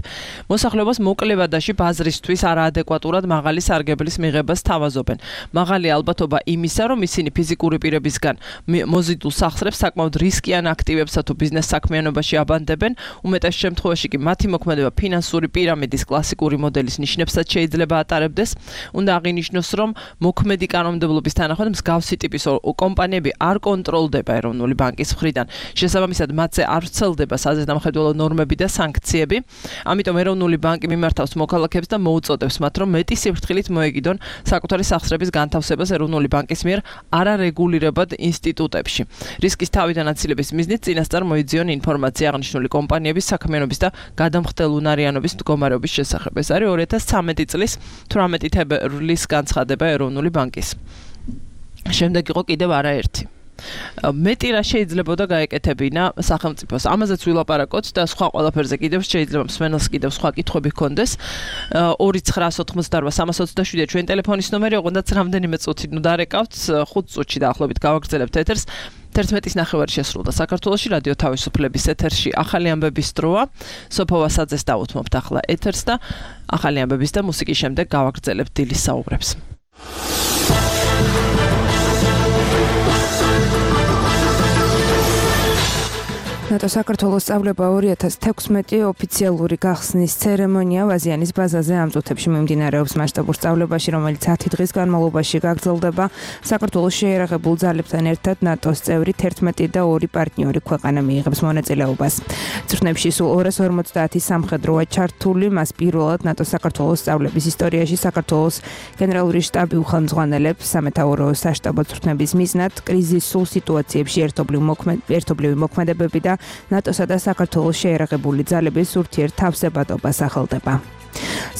მოსახლეობას მოკლევადაში ბაზრისთვის არაადეკვატურად მაღალი სარგებლის მიღებას თავაზობენ. მაღალი ალბათობა იმისა, რომ ისინი ფიზიკური პირებისგან მოზიდულ სახსრებს საკმაოდ რისკიან აქტივებსა თუ ბიზნეს საქმიანობაში აბანდებენ, უმეტეს შემთხვევაში კი მათი მოქმედება ფინანსური პირამიდის კლასიკური მოდელის ნიშნებსაც შეიძლება ატარებდეს. უნდა აღინიშნოს, რომ მოქმედი კანონმდებლობის თანახმად მსგავსი ტიპის კომპანიები არ კონტროლდება ეროვნული ბანკის მხრიდან. შესაბამისად, მათზე არ ვრცელდება საზედამხედველო ნორმები და სანქციები. ამიტომ ეროვნული ბანკი მიმართავს მოქალაქეებს და მოუწოდებს მათ, რომ მეტი სიფრთხილით მოეგიდონ საკუთარი სახსრების განთავსებას ეროვნული ბანკის მიერ არარეგულირებად ინსტიტუტებში. რისკის თავიდან აცილების მიზნით წინასწარ მოიძიონ ინფორმაცია აღნიშნული კომპანიების საქმიანობის და გადამხდელ უნარიანობის მდგომარეობის შესახებ. ეს არის ორი ათას ცხრამეტი წლის თვრამეტი თებერვლის განცხადება ეროვნული ბანკის. შემდეგ იყო კიდევ არაერთი. მეტი რა შეიძლებოდა გაეკეთებინა სახელმწიფოს. ამაზეც ვილაპარაკოთ და სხვა ყველაფერზე კიდევ შეიძლება მსმენელს კიდევ სხვა კითხვები ჰქონდეს. ორი ცხრა ოცდაოთხმოცდაორბა სამას ოცდაშვიდი ჩვენ ტელეფონის ნომერი, ოღონდ რამდენიმე წუთი ნუ დარეკავთ, ხუთ წუთში დაახლოებით გავაგრძელებთ ეთერს. თერთმეტის ნახევარი შესრულდა საქართველოში რადიო თავისუფლების ეთერში ახალი ამბების დროა. სოფო ვასაძეს დავუთმობთ ახლა ეთერს და ახალი ამბების და მუსიკის შემდეგ გავაგრძელებთ დილის საუბრებს. ნატო საქართველოს სწავლება ორი ათას თექვსმეტი ოფიციალური გახსნის ცერემონია ვაზიანის ბაზაზე ამ წუთებში მიმდინარეობს მასშტაბურ სწავლებაში, რომელიც ათი დღის განმავლობაში გაგრძელდება. საქართველოს შეიარაღებულ ძალებთან ერთად ნატოს წევრი თერთმეტი და ორი პარტნიორი ქვეყანა მიიღებს მონაწილეობას. წვრთნებში სულ ორას ორმოცდაათი სამხედროა ჩართული, მას პირველად ნატოს საქართველოს სწავლების ისტორიაში საქართველოს გენერალური შტაბი უხელმძღვანელებს სამეთაურო საშტაბო წვრთნების მიზნად კრიზისულ სიტუაციებში ერთობლივი მოქმედებები და ნატოსა და საქართველოს შეიარაღებული ძალების ურთიერთთავსებადობა სახელდება.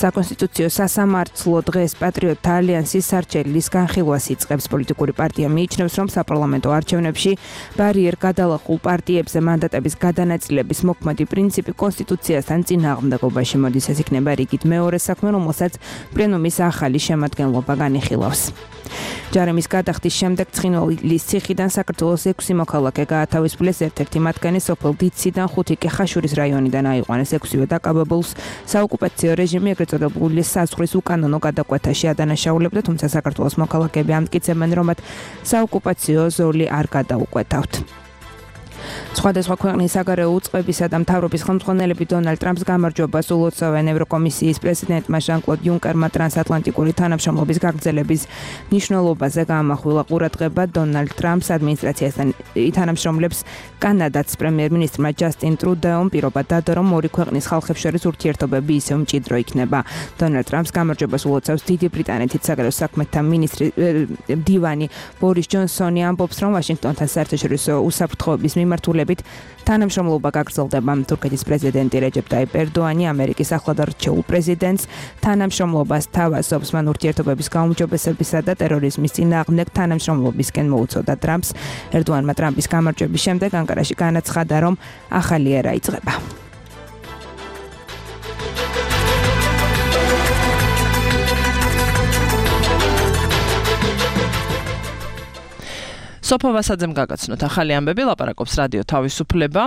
საკონსტიტუციო სასამართლო დღეს პატრიოტთა ალიანსის სარჩელის განხილვას იწყებს. პოლიტიკური პარტია მიიჩნევს, რომ საპარლამენტო არჩევნებში ბარიერ გადალახულ პარტიებზე მანდატების გადანაწილების მოქმედი პრინციპი კონსტიტუციასთან წინააღმდეგობაში მოდის. ეს იქნება რიგით მეორე საქმე, რომელსაც პლენუმის ახალი შემადგენლობა განიხილავს. ჯარემის გადახდის შემდეგ ცხინვალის ციხიდან საქართველოს ექვსი მოქალაქე გაათავისუფლეს, ერთ-ერთი მათგანი სოფელ დიციდან, ხუთი კი ხაშურის რაიონიდან აიყვანეს. ექვსივე დაკავებულს საოკუპაციო რეჟიმი ეგრეთ წოდებული საზღვრის უკანონო გადაკვეთაში ადანაშაულებდა, თუმცა საქართველოს მოქალაქეები ამტკიცებენ, რომ მათ საოკუპაციო ზოლი არ გადაუკვეთავთ. სხვადასხვა ქვეყნის საგარეო უწყებისა და მთავრობის ხელმძღვანელები დონალდ ტრამპს გამარჯვებას ულოცავენ. ევროკომისიის პრეზიდენტმა ჟან-კლოდ იუნკერმა ტრანსატლანტიკური თანამშრომლობის გაგრძელების მნიშვნელობაზე გაამახვილა ყურადღება. დონალდ ტრამპს ადმინისტრაციასთან თანამშრომლებს კანადაც პრემიერ-მინისტრმა ჯასტინ ტრუდეომ პირობა დადო, რომ ორი ქვეყნის ხალხებს შორის ურთიერთობები ისევ მჭიდრო იქნება. დონალდ ტრამპს გამარჯვებას ულოცავს დიდი ბრიტანეთის საგარეო საქმეთა მინისტრი მდივანი ბორის ჯონსონი, ამბობს, რომ ვაშინგტონთან საერთაშორისო უსაფრთხოების მიმართულებით თანამშრომლობა გაგრძელდება. თურქეთის პრეზიდენტი რეჯეპ ტაიპ ერდოანი ამერიკის ახლად არჩეულ პრეზიდენტს თანამშრომლობას თავაზობს. მან ურთიერთობების გაუმჯობესებისა და ტერორიზმის წინააღმდეგ თანამშრომლობისკენ მოუწოდა ტრამპს. ერდოანმა ტრამპის გამარჯვების შემდეგ ანკარაში განაცხადა, რომ ახალი ერა იწყება. სოფო ვასაძემ გაგაცნოთ ახალი ამბები, ლაპარაკობს რადიო თავისუფლება.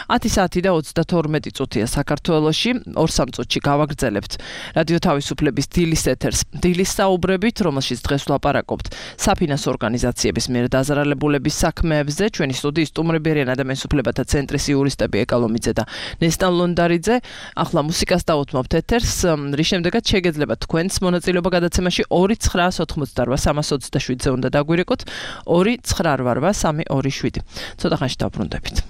ათი საათი და ოცდათორმეტი წუთია საქართველოში, ორ სამ წუთში გავაგრძელებთ რადიო თავისუფლების დილის ეთერს. დილის საუბრებით, რომელშიც დღეს ვლაპარაკობთ საფინანსო ორგანიზაციების მიერ დაზარალებულების საქმეებზე. ჩვენი სტუდიის სტუმრები არიან ადამიანის უფლებათა ცენტრის იურისტები ეკალომიძე და ნესტან ლონდარიძე. ახლა მუსიკას დავუთმობთ ეთერს, რის შემდეგაც შეგეძლებათ თქვენს მონაწილეობა გადაცემაში ორი ცხრა ოცდაოთხმოცდაორბა სამას ოცდაშვიდზე უნდა დაგვირეკოთ, ორი ცხრა ვარვა სამი ორი შვიდი. ცოტა ხანში დავბრუნდებით.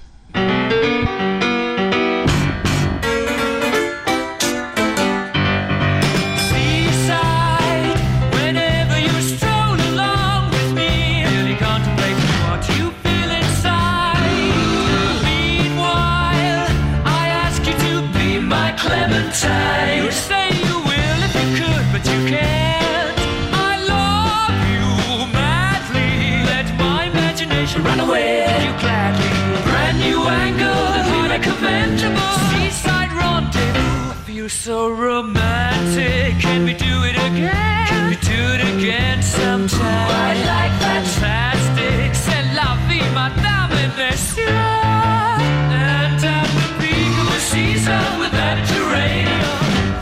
Run away, you gladly. Brand new angle that we recommend. Seaside rendezvous. I feel so romantic. Can we do it again? Can we do it again sometime? I like fantastic. C'est la vie, madame, et monsieur. And at the peak of the season with Mediterranean.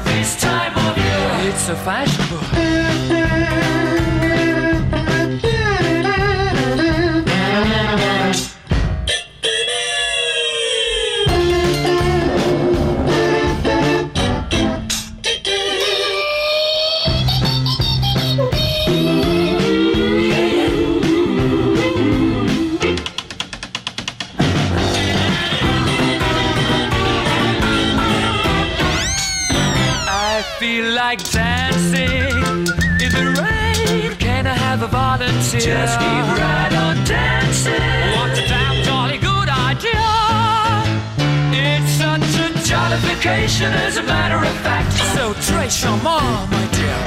This time of year, it's so fashionable. Like dancing in the rain. Can I have a volunteer? Just keep right on dancing. What a damn jolly good idea. It's such a jollification, as a matter of fact. So très charmant, my dear.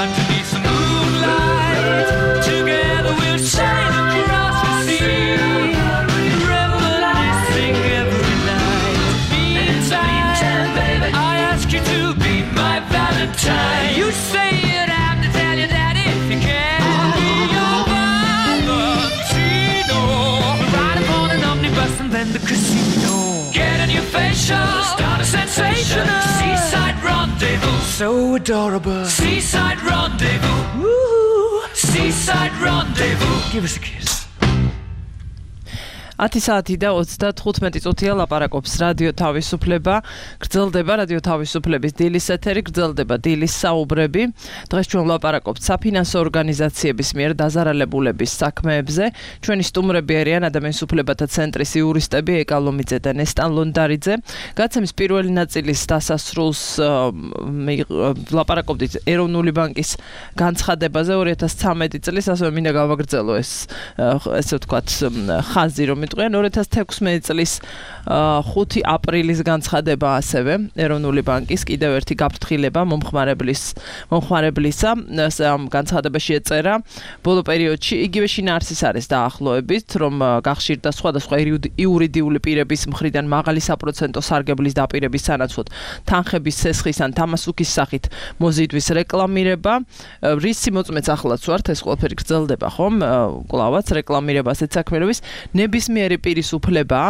Underneath the moonlight, together we'll sail across the sea. shall start a sensation. Seaside rendezvous, so adorable. Seaside rendezvous, woo. Seaside rendezvous. Give us a kiss. ათი საათი და ოცდათხუთმეტი წუთია ლაპარაკობს რადიო თავისუფლება. გრძელდება რადიო თავისუფლების დილის ეთერი, გრძელდება დილის საუბრები. დღეს ჩვენ ვლაპარაკობთ საფინანსო ორგანიზაციების მიერ დაზარალებულების საქმეებზე. ჩვენი სტუმრები არიან ადამიანის უფლებათა ცენტრის იურისტები ეკა ლომიძე და ნესტან ლონდარიძე. გაცემის პირველი ნაწილის დასასრულს ვლაპარაკობდით ეროვნული ბანკის განცხადებაზე ორი ათას ცხრამეტი წლის, ასევე მინდა გავაგრძელო ეს ესე ვთქვათ ხაზი, რომ ორი ათას თექვსმეტი წლის ხუთი აპრილის განცხადება ასევე ეროვნული ბანკის კიდევ ერთი გაფრთხილება მომხმარებლის მომხმარებლისა ამ განცხადებაში ეწერა ბოლო პერიოდში იგივე შინაარსის არის დაახლოებით რომ გახშირდა სხვადასხვა იურიდიული პირების მხრიდან მაღალი საპროცენტო სარგებლის დაპირების სანაცვლოდ თანხების სესხის ან თამასუქის სახით მოზიდვის რეკლამირება რისი მოწმეც ახლაც ვართ ეს ყველაფერი გრძელდება ხომ კლავაც რეკლამირება ასეთ საქმიანობის ნებისმიერი პირის უფლება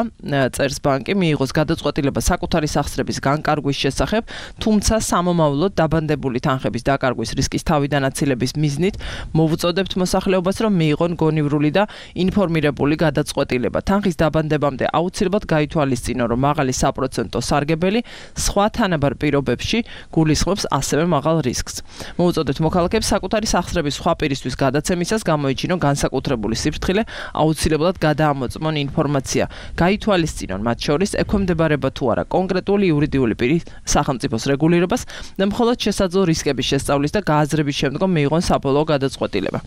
წერს ბანკი მიიღოს გადაწყვეტილება საკუთარი სახსრების განკარგვის შესახებ, თუმცა სამომავლოდ დაბანდებული თანხების დაკარგვის რისკის თავიდანაცილების მიზნით მოვუწოდებთ მოსახლეობას, რომ მიიღონ გონივრული და ინფორმირებული გადაწყვეტილება. თანხის დაბანდებამდე აუცილებლად გაითვალისწინონ, რომ მაღალი საპროცენტო სარგებელი სხვა თანაბარ პირობებში გულისხმობს ასევე მაღალ რისკს. მოვუწოდებთ მოქალაქეებს საკუთარი სახსრების სხვა პირისთვის გადაცემისას გამოიჩინონ განსაკუთრებული სიფრთხილე, აუცილებლად გადაამოწმონ ინფორმაცია. გაითვალისწინონ მათ შორის ექვემდებარება თუ არა კონკრეტული იურიდიული პირის სახელმწიფოს რეგულირებას და მხოლოდ შესაძლო რისკების შესწავლის და გააზრების შემდგომ მიიღონ საბოლოო გადაწყვეტილება.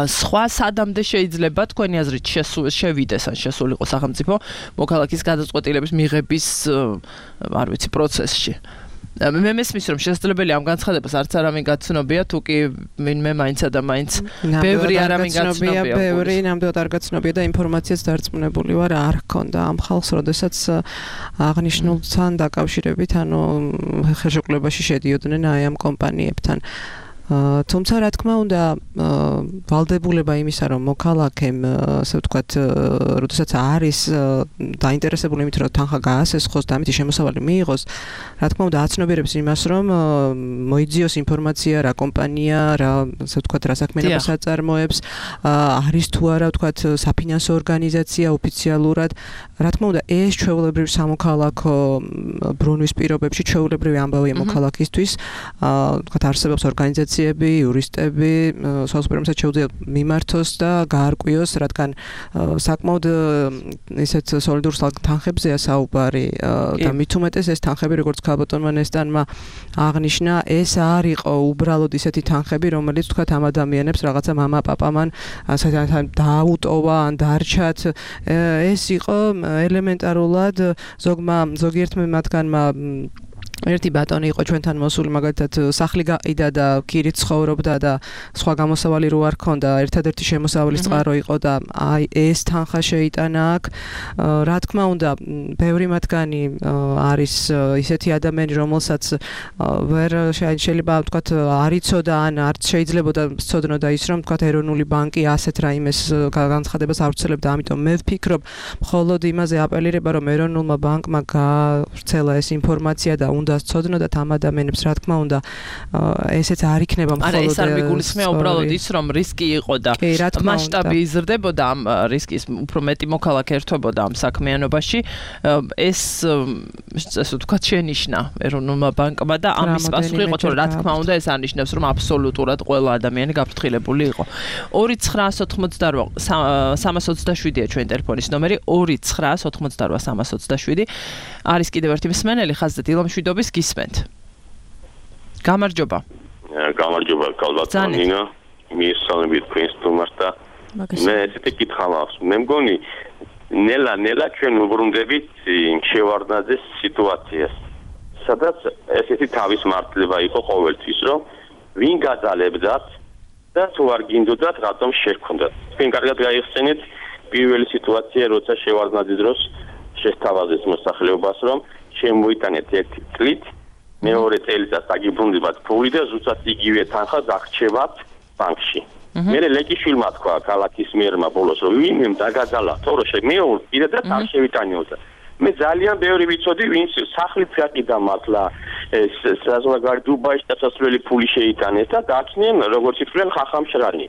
სხვა სადამდე შეიძლება თქვენი აზრით შევიდეს ან შესულიყო სახელმწიფო მოქალაქის გადაწყვეტილების მიღების არ ვიცი პროცესში. მე მესმის რომ შესაძლებელი ამ განცხადებას არც არავინ გაცნობია თუ კი ვინმე მაინცა და მაინც ბევრი არავინ გაცნობია ბევრი ნამდვილად არ გაცნობია და ინფორმაციაც დარწმუნებული ვარ არ ჰქონდა ამ ხალხს როდესაც აღნიშნულთან დაკავშირებით ანუ ხელშეკრულებაში შედიოდნენ აი ამ კომპანიებთან თუმცა რა თქმა უნდა ვალდებულება იმისა რომ მოქალაქემ ასე ვთქვათ როდესაც არის დაინტერესებული იმით რომ თანხა გაასესხოს და ამით შემოსავალი მიიღოს რა თქმა უნდა აცნობიერებს იმას რომ მოიძიოს ინფორმაცია რა კომპანია რა ასე ვთქვათ რა საქმიანობას აწარმოებს არის თუ არა ვთქვათ საფინანსო ორგანიზაცია ოფიციალურად რა თქმა უნდა ეს ჩვეულებრივ სამოქალაქო ბრუნვის პირობებში ჩვეულებრივი ამბავია მოქალაქისთვის ვთქვათ არსებობს ორგანიზაცია იურისტები, საზოგადოებრივად შეუძლია მიმართოს და გაარკვიოს, რადგან საკმაოდ ისეთ სოლიდურ თანხებზეა საუბარი და მით უმეტეს ეს თანხები, როგორც ქალბატონმა ნესტანმა აღნიშნა, ეს არ იყო უბრალოდ ისეთი თანხები, რომელიც თქვათ ამ ადამიანებს რაღაცა мама, папа მან დააუტოვა ან დარჩათ, ეს იყო ელემენტარულად ზოგმა ზოგიერთმა მათგანმა ერთი ბატონი იყო ჩვენთან მოსული მაგალითად სახლი გაყიდა და ქირით ცხოვრობდა და სხვა გამოსავალი რო არ ქონდა ერთადერთი შემოსავლის წყარო იყო და აი ეს თანხა შეიტანა აქ რა თქმა უნდა ბევრი მათგანი არის ისეთი ადამიანი რომელსაც ვერ შეიძლება ვთქვათ არ იცოდა ან არც შეიძლებოდა სწოდნოდა ის რომ ვთქვათ ეროვნული ბანკი ასეთ რაიმეს განცხადებას არ ვცელებდა ამიტომ მე ვფიქრობ მხოლოდ იმაზე აპელირება რომ ეროვნულმა ბანკმა გავრცელა ეს ინფორმაცია და უნდა სწოდნოდათ ამ ადამიანებს რა თქმა უნდა ესეც არ იქნება მხოლოდ არა ეს არ მიგულისხმია უბრალოდ ის რომ რისკი იყო და მასშტაბი იზრდებოდა ამ რისკის უფრო მეტი მოქალაქე ერთვებოდა ამ საქმიანობაში ეს ასე ვთქვათ შენიშნა ეროვნულმა ბანკმა და ამის პასუხი იყო თორე რა თქმა უნდა ეს არნიშნავს რომ აბსოლუტურად ყველა ადამიანი გაფრთხილებული იყო ორი ცხრაას ოთხმოცდარვა სამას ოცდაშვიდია ჩვენი ტელეფონის ნომერი ორი ცხრაას ოთხმოცდარვა სამას ოცდაშვიდი არის კიდევ ერთი მსმენელი ხაზზე დილამშვიდობის გისმენთ. გამარჯობა. გამარჯობა კალბატონინა. მისალმებით თქვენს სტუმარს და მე ესეთი კითხვა მაქვს. მე მგონი ნელა ნელა ჩვენ უბრუნდებით შევარდნაძეს სიტუაციას. სადაც ესეთი თავის მართლება იყო ყოველთვის, რომ ვინ გაძალებდათ და თუ არ გინდოდათ რატომ შეგქონდათ. თქვენ კარგად გაიხსენეთ პირველი სიტუაცია, როცა შევარდნაძე დროს შესთავაზეს მოსახლეობას, რომ შემოიტანეთ ერთი წლით, მეორე წელიწადს აგიბრუნდებათ ფული და ზუსტად იგივე თანხა დაგრჩევათ ბანკში. მე ლეკიშვილმა თქვა ქალაქის მერმა ბოლოს, რომ ვინმე დაგაძალა, თორე მე პირადად არ შევიტანიოდა. მე ძალიან ბევრი ვიცოდი, ვინც სახლიც გაყიდა მართლა ეს საზღვარი დუბაიში დასასვლელი ფული შეიტანეს და დააჩნიენ როგორც ითვლიან ხახამშრანი.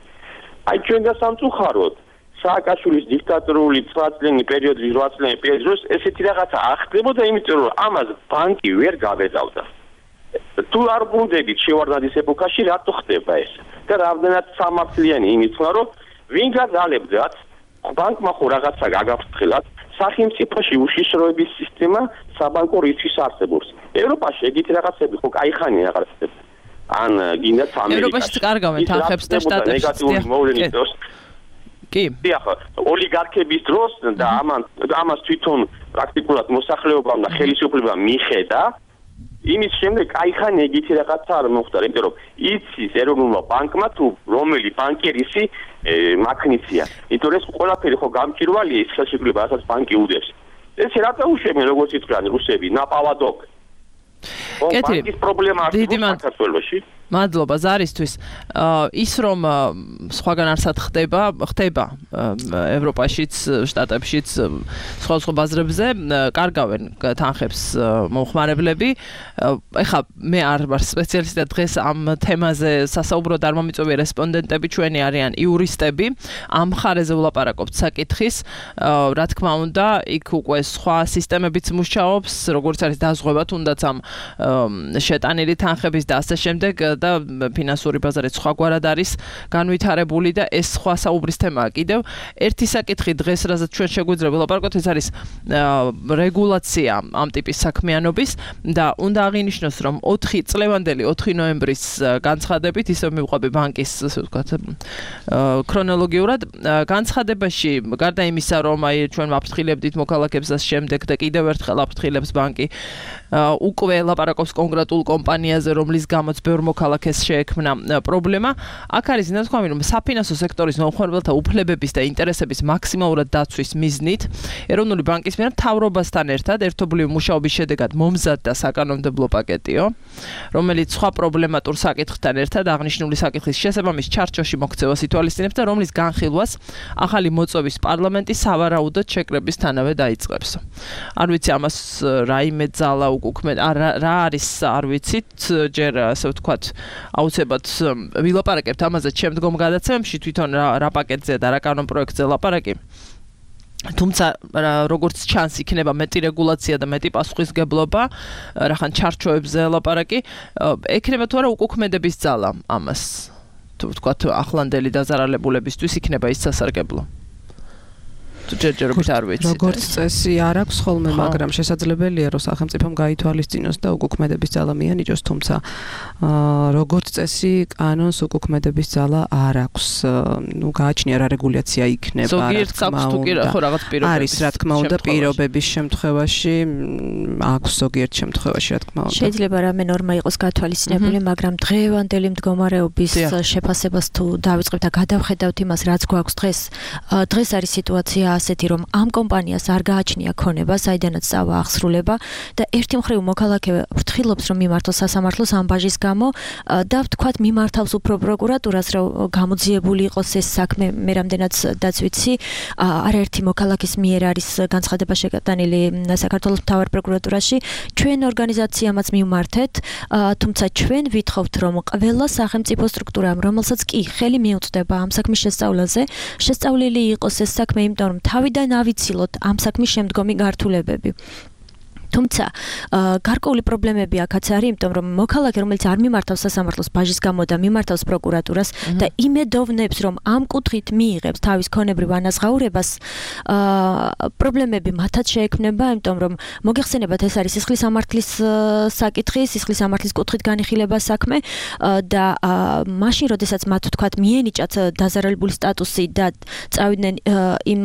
აი ჩვენ და სამწუხაროდ სააკაშვილის დიქტატორული ცხრა წლიანი პერიოდის რვა წლიანი პერიოდის ესეთი რაღაცა ახდებოდა, იმიტომ რომ ამას ბანკი ვერ გაბედავდა. თუ არ ბუნდებით შევარდნაძის ეპოქაში რატო ხდება ეს? და რამდენად სამართლიანი იმით ვარ, რომ ვინ გაგალებდათ ბანკმა ხო რაღაცა გაგაფრთხილათ სახელმწიფოში უშიშროების სისტემა საბანკო რისკის არსებობს. ევროპაში ეგეთი რაღაცები ხო кайხანი აღარ ხდება. ან გინდათ ამერიკაში. ევროპაშიც კარგავენ თანხებს და შტატებში. ნეგატიური მოვლენის დროს კი. დიახ, ოლიგარქების დროს და ამან ამას თვითონ პრაქტიკულად მოსახლეობამ და ხელისუფლებამ მიხედა. იმის შემდეგ кайხანი ეგეთი რაღაცა არ მოხდა, იმიტომ რომ იცის ეროვნულმა ბანკმა თუ რომელი ბანკერისი მაქნიცია. იმიტომ რომ ეს ყველაფერი ხო გამჭირვალია ის ხელშეკრულება, რასაც ბანკი უდევს. ეს რატო უშვებენ როგორც ითქვიან რუსები, ნაპავადოკ. კეთილი. ბანკის პრობლემა არსებობს საქართველოში. მადლობა ზარისთვის. ის რომ სხვაგან არსად ხდება, ხდება ევროპაშიც, შტატებშიც სხვა სხვა ბაზრებზე კარგავენ თანხებს მომხმარებლები. ეხლა მე არ ვარ სპეციალისტი და დღეს ამ თემაზე სასაუბროდ არ მომიწვევია რესპონდენტები, ჩვენი არიან იურისტები. ამ ხარეზე ვლაპარაკობთ საკითხის. რა თქმა უნდა, იქ უკვე სხვა სისტემებიც მუშაობს, როგორც არის დაზღვევა თუნდაც ამ შეტანილი თანხების და ასე შემდეგ და ფინანსური ბაზარიც სხვაგვარად არის განვითარებული და ეს სხვა საუბრის თემაა კიდევ. ერთი საკითხი დღეს, რასაც ჩვენ შეგვიძლია ვლაპარაკოთ, ეს არის რეგულაცია ამ ტიპის საქმიანობის და უნდა აღინიშნოს, რომ ოთხი წლევანდელი ოთხი ნოემბრის განცხადებით, ისევ მივყვები ბანკის, ასე ვთქვათ, ქრონოლოგიურად, განცხადებაში გარდა იმისა, რომ აი ჩვენ ვაფრთხილებდით მოქალაქეებს და შემდეგ და კიდევ ერთხელ აფრთხილებს ბანკი უკვე ლაპარაკობს კონკრეტულ კომპანიაზე, რომლის გამოც ბევრ მოქალაქეს შეექმნა პრობლემა. აქ არის ნათქვამი, რომ საფინანსო სექტორის მომხმარებელთა უფლებების და ინტერესების მაქსიმალურად დაცვის მიზნით ეროვნული ბანკის მიერ მთავრობასთან ერთად ერთობლივი მუშაობის შედეგად მომზადდა საკანონმდებლო პაკეტიო, რომელიც სხვა პრობლემატურ საკითხთან ერთად აღნიშნული საკითხის შესაბამის ჩარჩოში მოქცევას ითვალისწინებს და რომლის განხილვას ახალი მოწვევის პარლამენტი სავარაუდოდ შეკრებისთანავე დაიწყებს. არ ვიცი ამას რაიმე ძალა უკუქმე რა არის არ ვიცით, ჯერ ასე ვთქვათ, აუცილებლად ვილაპარაკებთ ამაზე შემდგომ გადაცემებში თვითონ რა პაკეტზე და რა კანონპროექტზე ლაპარაკი. თუმცა როგორც ჩანს იქნება მეტი რეგულაცია და მეტი პასუხისგებლობა, რახან ჩარჩოებზე ლაპარაკი, ექნება თუ არა უკუქმედების ძალა ამას. თუ ვთქვათ ახლანდელი დაზარალებულებისთვის იქნება ის სასარგებლო. ჯერჯერობით არ ვიცით. როგორც წესი არ აქვს ხოლმე, მაგრამ შესაძლებელია რომ სახელმწიფომ გაითვალისწინოს და უკუქმედების ძალა მიანიჭოს, თუმცა როგორც წესი კანონს უკუქმედების ძალა არ აქვს. ნუ გააჩნია რა რეგულაცია იქნება, ზოგიერთ აქვს თუ კი ხო რაღაც პირობების. არის რა თქმა უნდა პირობების შემთხვევაში, აქვს ზოგიერთ შემთხვევაში რა თქმა უნდა. შეიძლება რამე ნორმა იყოს გათვალისწინებული, მაგრამ დღევანდელი მდგომარეობის შეფასებას თუ დავიწყებთ და გადავხედავთ იმას, რაც გვაქვს დღეს, დღეს არის სიტუაცია ასეთი, რომ ამ კომპანიას არ გააჩნია ქონება, საიდანაც წავა აღსრულება და ერთი მხრივ მოქალაქე ფრთხილობს, რომ მიმართოს სასამართლოს ამ ბაჟის გამო და ვთქვათ მიმართავს უფრო პროკურატურას, რომ გამოძიებული იყოს ეს საქმე. მე რამდენად დაცვიცი, არაერთი მოქალაქის მიერ არის განცხადება შეგატანილი საქართველოს მთავარ პროკურატურაში. ჩვენ ორგანიზაციამაც მივმართეთ, თუმცა ჩვენ ვითხოვთ, რომ ყველა სახელმწიფო სტრუქტურამ, რომელსაც კი ხელი მიუწვდება ამ საქმის შესწავლაზე, შესწავლილი იყოს ეს საქმე, იმიტომ რომ თავიდან ავიცილოთ ამ საქმის შემდგომი გართულებები. თუმცა გარკვეული პრობლემები აქაც არის, იმიტომ რომ მოქალაქე, რომელიც არ მიმართავს სასამართლოს ბაჟის გამო და მიმართავს პროკურატურას და იმედოვნებს, რომ ამ კუთხით მიიღებს თავის ქონებრივ ანაზღაურებას, პრობლემები მათაც შეექმნება, იმიტომ რომ მოგეხსენებათ, ეს არის სისხლის სამართლის საკითხი, სისხლის სამართლის კუთხით განიხილება საქმე და მაშინ, როდესაც მათ თქვათ მიენიჭათ დაზარალებული სტატუსი და წავიდნენ იმ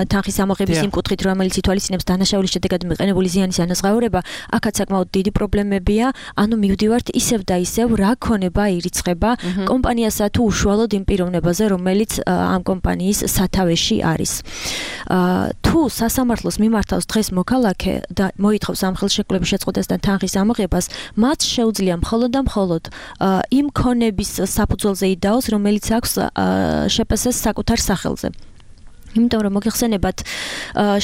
თანხის ამოღების იმ კუთხით, რომელიც ითვალისწინებს დანაშაულის შედეგად მიყენებული ზიანის ანაზღაურება, აქაც საკმაოდ დიდი პრობლემებია, ანუ მივდივართ ისევ და ისევ რა ქონება ირიცხება კომპანიასა თუ უშუალოდ იმ პიროვნებაზე, რომელიც ამ კომპანიის სათავეში არის. თუ სასამართლოს მიმართავს დღეს მოქალაქე და მოითხოვს ამ ხელშეკრულების შეწყვეტას და თანხის ამოღებას, მათ შეუძლია მხოლოდ და მხოლოდ იმ ქონების საფუძველზე იდაოს, რომელიც აქვს შპს-ს საკუთარ სახელზე. იმიტომ რომ მოგეხსენებათ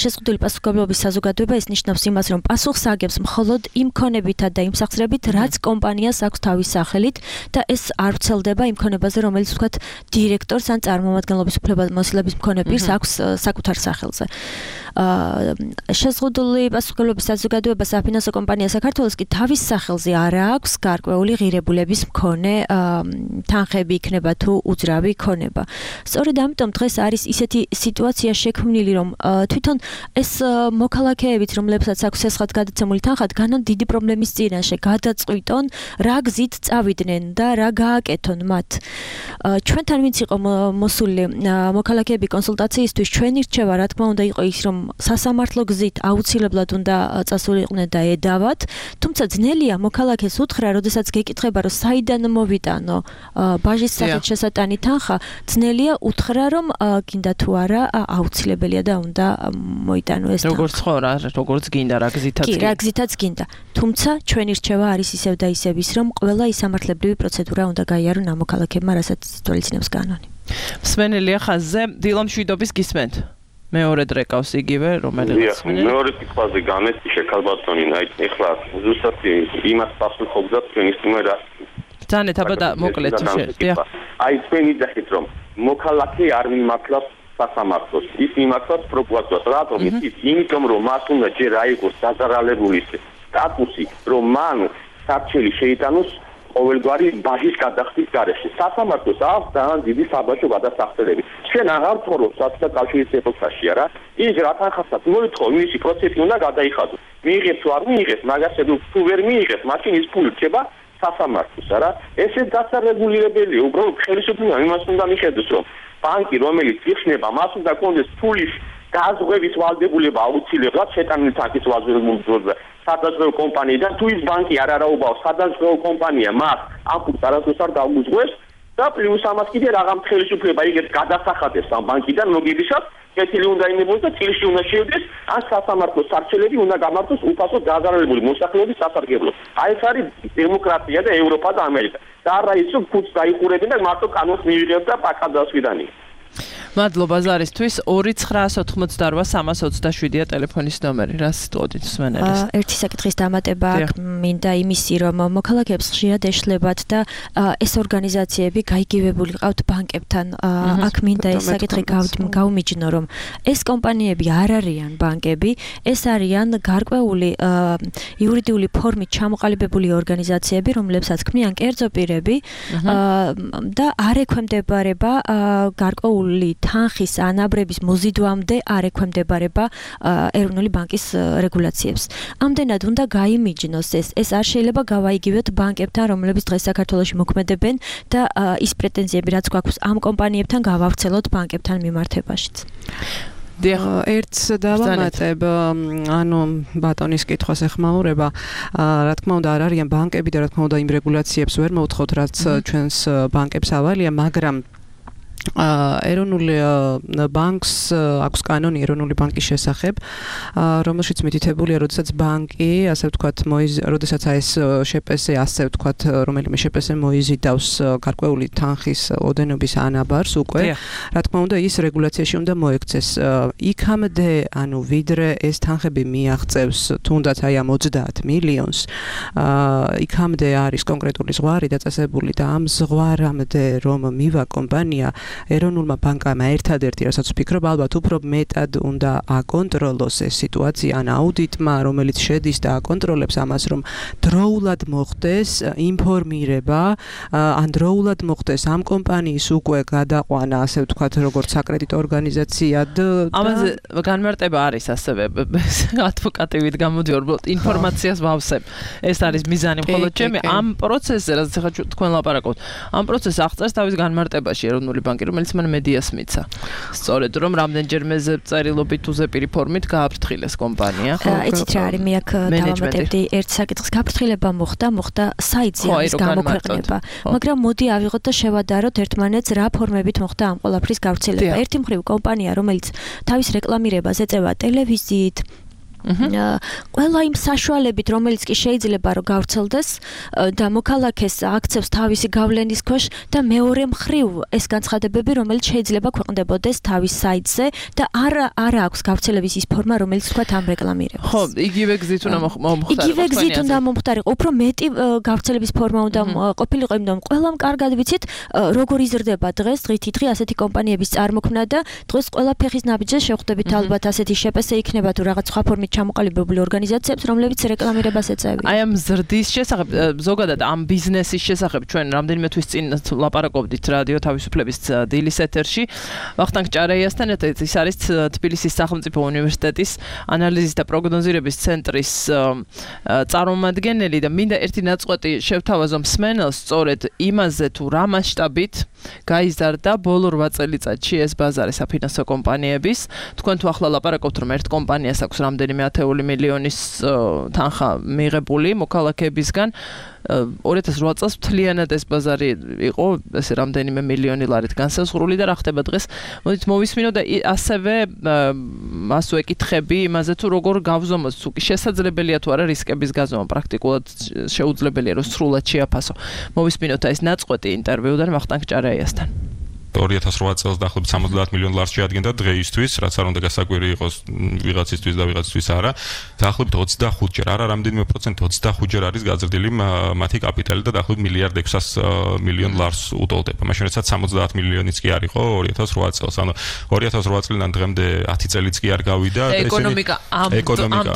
შეზღუდული პასუხისმგებლობის საზოგადოება ის ნიშნავს იმას რომ პასუხს აგებს მხოლოდ იმ ქონებითა და იმ სახსრებით რაც კომპანიას აქვს თავის სახელით და ეს არ ვრცელდება იმ ქონებაზე რომელიც ვთქვათ დირექტორს ან წარმომადგენლობის უფლებამოსილების მქონე პირს აქვს საკუთარ სახელზე შეზღუდული პასუხისმგებლობის საზოგადოება საფინანსო კომპანია საქართველოს კი თავის სახელზე არ აქვს გარკვეული ღირებულების მქონე თანხები იქნება თუ უძრავი ქონება სწორედ ამიტომ დღეს არის ისეთი სიტუაცია შექმნილი რომ თვითონ ეს მოქალაქეებიც რომლებსაც აქვს ესხად გადაცემული თანხა განან დიდი პრობლემის წინაშე გადაწყვიტონ რა გზით წავიდნენ და რა გააკეთონ მათ ჩვენთან ვინც იყო მოსული მოქალაქეები კონსულტაციისთვის ჩვენი რჩევა რა თქმა უნდა იყო ის რომ სასამართლო გზით აუცილებლად უნდა წასულიყვნენ და ედავათ თუმცა ძნელია მოქალაქეს უთხრა როდესაც გეკითხება რომ საიდან მოვიტანო ბაჟის სახით შესატანი თანხა ძნელია უთხრა რომ გინდა თუ არა აუცილებელია და უნდა მოიტანო ეს თანხა როგორც ხო რა როგორც გინდა რა გზითაც კი რა გზითაც გინდა თუმცა ჩვენი რჩევა არის ისევ და ისევ ის რომ ყველა ის სამართლებრივი პროცედურა უნდა გაიარონ ამ მოქალაქეებმა რასაც თვალისწინებს კანონი მსმენელია ხაზზე დილამ შვიდობის გისმენთ მეორე დრეკავს იგივე რომელიც მეორე კითხვაზე გამესტი შეკალბატონი ეხლა ზუსტად იმას პასუხობდა თქვენის თქმერა ძანეთ აბა და მოკლედ თუ შეიძლება აი თქვენი ძახით რომ მოქალაქე არ მიმართავს სასამართლოს ის მიმართავს პროკურატურას რატომ ის იმიტომ რომ მას უნდა ჯერ აიღოს დაზარალებული სტატუსი რომ მან საჩელი შეიტანოს ყოველგვარი ბაჟის გადახდის გარეშე სასამართლოს აქვს ძალიან დიდი საბაჟო გადასახადები ჩვენ აღარ თორობს საწყის კავშირის ეპოქაში არა ის რა თანხასაც მოითხოვ მისი პროცესი უნდა გადაიხადოს მიიღებს თუ არ მიიღებს მაგას თუ ვერ მიიღებს მაშინ ის ფული რჩება სასამართლოს არა ესე დასარეგულირებელია უბრალოდ ხელისუფლება იმას უნდა მიხედოს რომ ბანკი რომელიც იხსნება მას უნდა კონდეს ფულის გაზღვევის ვალდებულება აუცილებლად შეტანილი თანხის ვალდებულება სადაზღვევო კომპანიიდან თუ ის ბანკი არ არაუბავს სადაზღვევო კომპანია მას ამ ფულს არასდროს არ დაუძღვეს და პლუს ამას კიდე რაღაც ხელისუფლება იგებს გადასახადებს ამ ბანკიდან მოგებისას კეთილი უნდა იმებოს და წილში უნდა შევიდეს ან სასამართლოს სარჩელები უნდა გამართოს უფასო დაზარალებული მოსახლეობის სასარგებლოდ აი ეს არის დემოკრატია და ევროპა და ამერიკა და არა ის რომ ფულს დაიხურებენ და მარტო კანონს მივიღებთ და პაკა დასვიდანია მადლობა ზარისთვის ორი ცხრაას ოთხმოცდაოთხ სამას ოცდაშვიდია ტელეფონის ნომერი რა სიტყვით მსმენელის ერთი საკითხის დამატება მინდა იმისი რომ მოქალაქეებს ხშირად ეშლებათ და ეს ორგანიზაციები გაიგივებული ყავთ ბანკებთან აქ მინდა ეს საკითხი გავმიჯნო რომ ეს კომპანიები არ არიან ბანკები ეს არიან გარკვეული იურიდიული ფორმით ჩამოყალიბებული ორგანიზაციები რომლებსაც ქმნიან კერძო პირები და არ ექვემდებარება გარკვეული თანხის ანაბრების მოზიდვამდე არ ექვემდებარება ეროვნული ბანკის რეგულაციებს. ამდენად უნდა გაიმიჯნოს ეს. ეს არ შეიძლება გავაიგივოთ ბანკებთან, რომლებიც დღეს საქართველოში მოქმედებენ და ის პრეტენზიები, რაც გვაქვს ამ კომპანიებთან, გავავრცელოთ ბანკებთან მიმართებაშიც. ერთს დავამატებ, ანუ ბატონის კითხვას ეხმაურება, რა თქმა უნდა არ არიან ბანკები და რა თქმა უნდა იმ რეგულაციებს ვერ მოვთხოვთ, რაც ჩვენს ბანკებს ავალია, მაგრამ ეროვნული ბანკს აქვს კანონი ეროვნული ბანკის შესახებ, რომელშიც მითითებულია, როდესაც ბანკი, ასე ვთქვათ, როდესაც ეს შეპესე, ასე ვთქვათ, რომელიმე შეპესე მოიზიდავს გარკვეული თანხის ოდენობის ანაბარს უკვე, რა თქმა უნდა, ის რეგულაციაში უნდა მოექცეს. იქამდე, ანუ ვიდრე ეს თანხები მიაღწევს თუნდაც აი ამ ოცდაათ მილიონს, იქამდე არის კონკრეტული ზღვარი დაწესებული და ამ ზღვარამდე რომ მივა კომპანია ეროვნულმა ბანკამ ერთადერთი, რასაც ვფიქრობ, ალბათ უფრო მეტად უნდა აკონტროლოს ეს სიტუაცია, ან აუდიტმა, რომელიც შედის და აკონტროლებს ამას, რომ დროულად მოხდეს ინფორმირება, ან დროულად მოხდეს ამ კომპანიის უკვე გადაყვანა, ასე ვთქვათ, როგორც საკრედიტო ორგანიზაციად. ამაზე განმარტება არის ასევე ადვოკატივით გამოდიოდი, ინფორმაციას ვავსებ. ეს არის მიზანი, მხოლოდ ჩემი ამ პროცესზე, რაც ახლა თქვენ ლაპარაკობთ, ამ პროცესს აღწერს თავის განმარტებაში ეროვნული ბანკი, რომელიც მან მედიას მიცა. სწორედ რომ რამდენჯერმე წერილობით თუ ზეპირი ფორმით გააფრთხილეს კომპანია. იცით რა არის, მე აქ დავამატებდი ერთ საკითხს. გაფრთხილება მოხდა, მოხდა საიტზე ამის გამოქვეყნება. მაგრამ მოდი ავიღოთ და შევადაროთ ერთმანეთს რა ფორმებით მოხდა ამ ყველაფრის გავრცელება. ერთი მხრივ კომპანია, რომელიც თავის რეკლამირებას ეწევა ტელევიზიით, ყველა იმ საშუალებით, რომელიც კი შეიძლება რომ გავრცელდეს და მოქალაქეს აქცევს თავისი გავლენის ქვეშ და მეორე მხრივ ეს განცხადებები, რომელიც შეიძლება ქვეყნდებოდეს თავის საიტზე და არ არ აქვს გავრცელების ის ფორმა, რომელიც თქვა ამ რეკლამირებას. ხო, იგივე გზით უნდა მომხდარიყო. იგივე გზით უნდა მომხდარიყო, უფრო მეტი გავრცელების ფორმა უნდა ყოფილიყო, იმიტომ ყველამ კარგად ვიცით, როგორ იზრდება დღეს, დღითი დღე ასეთი კომპანიების წარმოქმნა და დღეს ყველა ფეხის ნაბიჯზე შევხვდებით ალბათ ასეთი შეპესე იქნება თუ რაღაც სხვა ფორმით ჩამოყალიბებული ორგანიზაციებს, რომლებიც რეკლამირებას ეწევიან. აი ამ ზრდის შესახებ, ზოგადად ამ ბიზნესის შესახებ ჩვენ რამდენიმე თვის წინ ლაპარაკობდით რადიო თავისუფლების დილის ეთერში. ვახტანგ ჭარეიასთან ერთად ის არის თბილისის სახელმწიფო უნივერსიტეტის ანალიზის და პროგნოზირების ცენტრის წარმომადგენელი და მინდა ერთი ნაწყვეტი შევთავაზო მსმენელს სწორედ იმაზე თუ რა მასშტაბით გაიზარდა ბოლო რვა წელიწადში ეს ბაზარი საფინანსო კომპანიების. თქვენ თუ ახლა ლაპარაკობთ რომ ერთ კომპანიას აქვს რამდენიმე ათეული მილიონის თანხა მიღებული მოქალაქეებისგან, ორი ათას რვა წელს მთლიანად ეს ბაზარი იყო ესე რამდენიმე მილიონი ლარით განსაზღვრული და რა ხდება დღეს. მოდით მოვისმინო და ასევე მასო ეკითხები იმაზე თუ როგორ გავზომოთ, თუ კი შესაძლებელია თუ არა რისკების გაზომა, პრაქტიკულად შეუძლებელია რომ სრულად შეაფასო. მოვისმინოთ ეს ნაწყვეტი ინტერვიუდან ვახტანგ ჭარეიასთან. ორი ათას რვა წელს დაახლოებით სამოცდაათ მილიონ ლარს შეადგენდა დღეისთვის, რაც არ უნდა გასაკვირი იყოს ვიღაცისთვის და ვიღაცისთვის არა. დაახლოებით ოცდახუთჯერ, არა რამდენიმე პროცენტი ოცდახუთჯერ არის გაზრდილი მათი კაპიტალი და დაახლოებით მილიარდ ექვსას მილიონ ლარს უტოლდება. მაშინ როდესაც სამოცდაათ მილიონიც კი არ იყო ორი ათას რვა წელს. ანუ ორი ათას რვა წლიდან დღემდე ათი წელიც კი არ გავიდა და ეკონომიკა ამ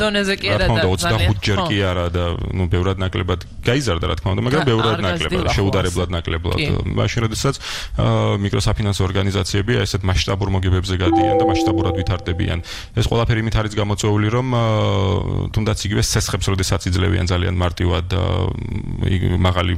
დონეზე კი არა და ოცდახუთჯერ კი არა და ნუ ბევრად ნაკლებად გაიზარდა რა თქმა უნდა, მაგრამ ბევრად ნაკლებად, შეუდარებლად ნაკლებად. მაშინ როდესაც მიკრო საფინანსო ორგანიზაციები ესეთ მასშტაბურ მოგებებზე გადიან და მასშტაბურად ვითარდებიან. ეს ყველაფერი იმით არის გამოწვეული, რომ თუნდაც იგივე სესხებს როდესაც იძლევიან ძალიან მარტივად მაღალი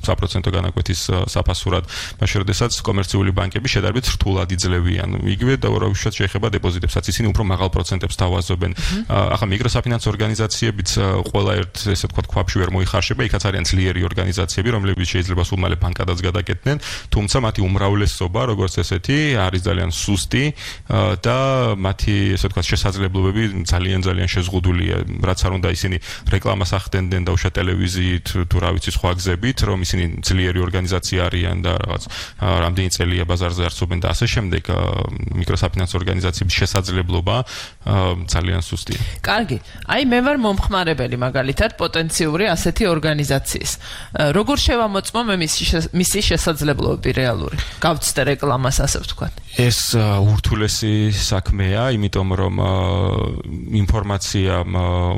საპროცენტო განაკვეთის საფასურად, მაშინ როდესაც კომერციული ბანკები შედარებით რთულად იძლევიან. იგივე და უბრალოდ შეეხება დეპოზიტებსაც, ისინი უფრო მაღალ პროცენტებს თავაზობენ. ახლა მიკროსაფინანსო ორგანიზაციებიც ყველა ერთ ესე ვთქვათ ქვაბში ვერ მოიხარშება, იქაც არიან ძლიერი ორგანიზაციები, რომლებიც შეიძლება სულ მალე ბანკადაც გადაკეთდნენ, თუმცა მათი უმრავლესობა როგორც ესეთი არის ძალიან სუსტი და მათი ესე ვთქვათ შესაძლებლობები ძალიან ძალიან შეზღუდულია, რაც არ უნდა ისინი რეკლამას ახდენდნენ და უშა ტელევიზიით თუ რა ვიცი სხვა გზებით, რომ ისინი ძლიერი ორგანიზაცია არიან და რაღაც რამდენი წელია ბაზარზე არსებობენ და ასე შემდეგ. მიკროსაფინანსო ორგანიზაციების შესაძლებლობა ძალიან სუსტია. კარგი, აი მე ვარ მომხმარებელი მაგალითად პოტენციური ასეთი ორგანიზაციის. როგორ შევამოწმო მე მისი შესაძლებლობები რეალური? გავცდე რეკლამას ასე ვთქვათ. ეს ურთულესი საქმეა, იმიტომ რომ ინფორმაცია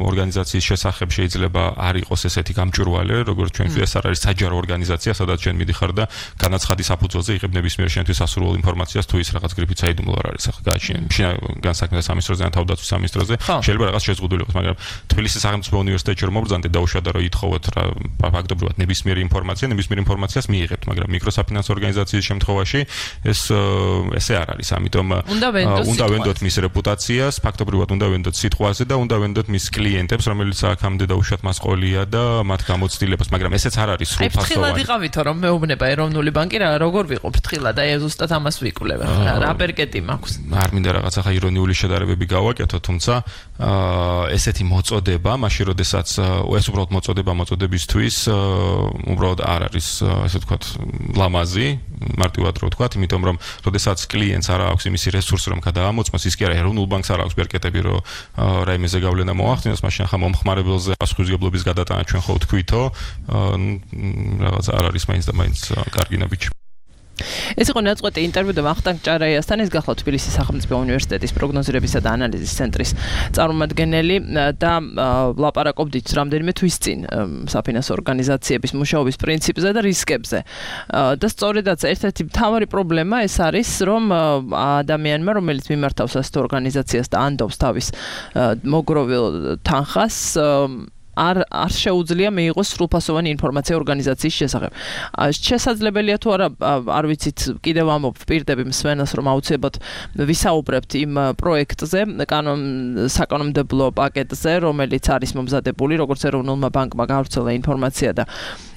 ორგანიზაციის შესახებ შეიძლება არ იყოს ესეთი გამჭვირვალე, როგორც ჩვენ ეს არ არის საჯარო ორგანიზაცია, სადაც ჩვენ მიდიხარ და განაცხადის საფუძველზე იღებ ნებისმიერ შენთვის ასურულ ინფორმაციას, თუ ის რაღაც გრიფით საიდუმლო არ არის. ახლა გააჩნია განსაქმე სამინისტროზე ან თავდაცვის სამინისტროზე, შეიძლება რაღაც შეზღუდული იყოს, მაგრამ თბილისის სახელმწიფო უნივერსიტეტში რომ მობრძანდეთ და უშუალოდ რომ ითხოვოთ რა ფაქტობრივად ნებისმიერი ინფორმაცია, ნებისმიერ ინფორმაციას მიიღებთ, მაგრამ მიკროსაფინანსო ორგანიზაციის შემთხვევაში ეს ესე არ არის, ამიტომ უნდა ვენდოთ მის რეპუტაციას, ფაქტობრივად უნდა ვენდოთ სიტყვაზე და უნდა ვენდოთ მის კლიენტებს, რომელიც აქამდე და უშუალოდ მას ყოლია და მათ გამოცდილებას, მაგრამ ესეც არ არის სრულფასოვანი. აი ფრთხილად იყავითო რომ მეუბნება ეროვნული ბანკი რა როგორ ვიყო ფრთხილად, აი ზუსტად ამას ვიკვლევ. რა პერკეტი მაქვს? არ მინდა რაღაც ახლა ირონიული შედარებები გავაკეთო, თუმცა ესეთი მოწოდება, მაშინ როდესაც ეს უბრალოდ მოწოდება მოწოდებისთვის უბრალოდ არ არის, ესე ვთქვათ, ლამაზი, მარტივად რო ვთქვათ, იმიტომ რომ როდესაც კლიენტს არ აქვს იმისი რესურსი რომ გადაამოწმოს, ის კი არა ეროვნულ ბანკს არ აქვს პერკეტები რომ რაიმეზე გავლენა მოახდინოს, მაშინ ახლა მომხმარებელზე პასუხისმგებლობის გადატანა ჩვენ ხო ვთქვითო, რაღაც არ არის მაინც და მაინც კარგი ნაბიჯი. ეს იყო ნაწყვეტი ინტერვიუ და ვახტანგ ჭარეიასთან, ეს გახლავთ თბილისის სახელმწიფო უნივერსიტეტის პროგნოზირებისა და ანალიზის ცენტრის წარმომადგენელი და ლაპარაკობდით რამდენიმე თვის წინ საფინანსო ორგანიზაციების მუშაობის პრინციპზე და რისკებზე. და სწორედაც ერთ-ერთი მთავარი პრობლემა ეს არის, რომ ადამიანმა, რომელიც მიმართავს ასეთ ორგანიზაციას და ანდობს თავის მოგროვილ თანხას, არ არ შეუძლია მიიღოს სრულფასოვანი ინფორმაცია ორგანიზაციის შესახებ. შესაძლებელია თუ არა, არ ვიცით, კიდევ ამობ ვპირდები მსმენელს, რომ აუცილებლად ვისაუბრებთ იმ პროექტზე, საკანონმდებლო პაკეტზე, რომელიც არის მომზადებული, როგორც ეროვნულმა ბანკმა გავრცელა ინფორმაცია და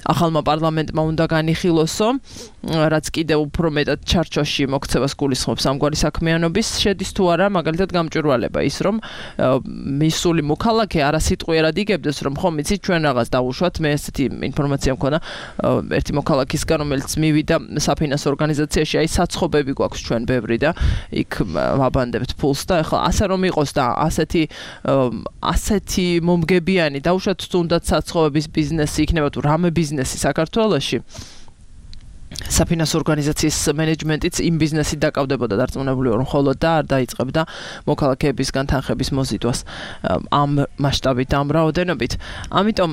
ახალმა პარლამენტმა უნდა განიხილოსო, რაც კიდევ უფრო მეტად ჩარჩოში მოქცევას გულისხმობს ამგვარი საქმიანობის, შედის თუ არა მაგალითად გამჭვირვალება ის, რომ მისული მოქალაქე არასიტყვიერად იგებდეს, რომ ხომ იცით ჩვენ რაღაც დავუშვათ, მე ესეთი ინფორმაცია მქონდა ერთი მოქალაქისგან, რომელიც მივიდა საფინანსო ორგანიზაციაში, აი საცხობები გვაქვს ჩვენ ბევრი და იქ ვაბანდებთ ფულს და ეხლა ასე რომ იყოს და ასეთი ასეთი მომგებიანი დავუშვათ თუნდაც საცხობების ბიზნესი იქნება თუ რამე ბიზნესი საქართველოში საფინანსო ორგანიზაციის მენეჯმენტიც იმ ბიზნესით დაკავდებოდა დარწმუნებული ვარ, ხოლო და არ დაიწყებდა მოქალაქეებისგან თანხების მოზიდვას ამ მასშტაბით, ამ რაოდენობით. ამიტომ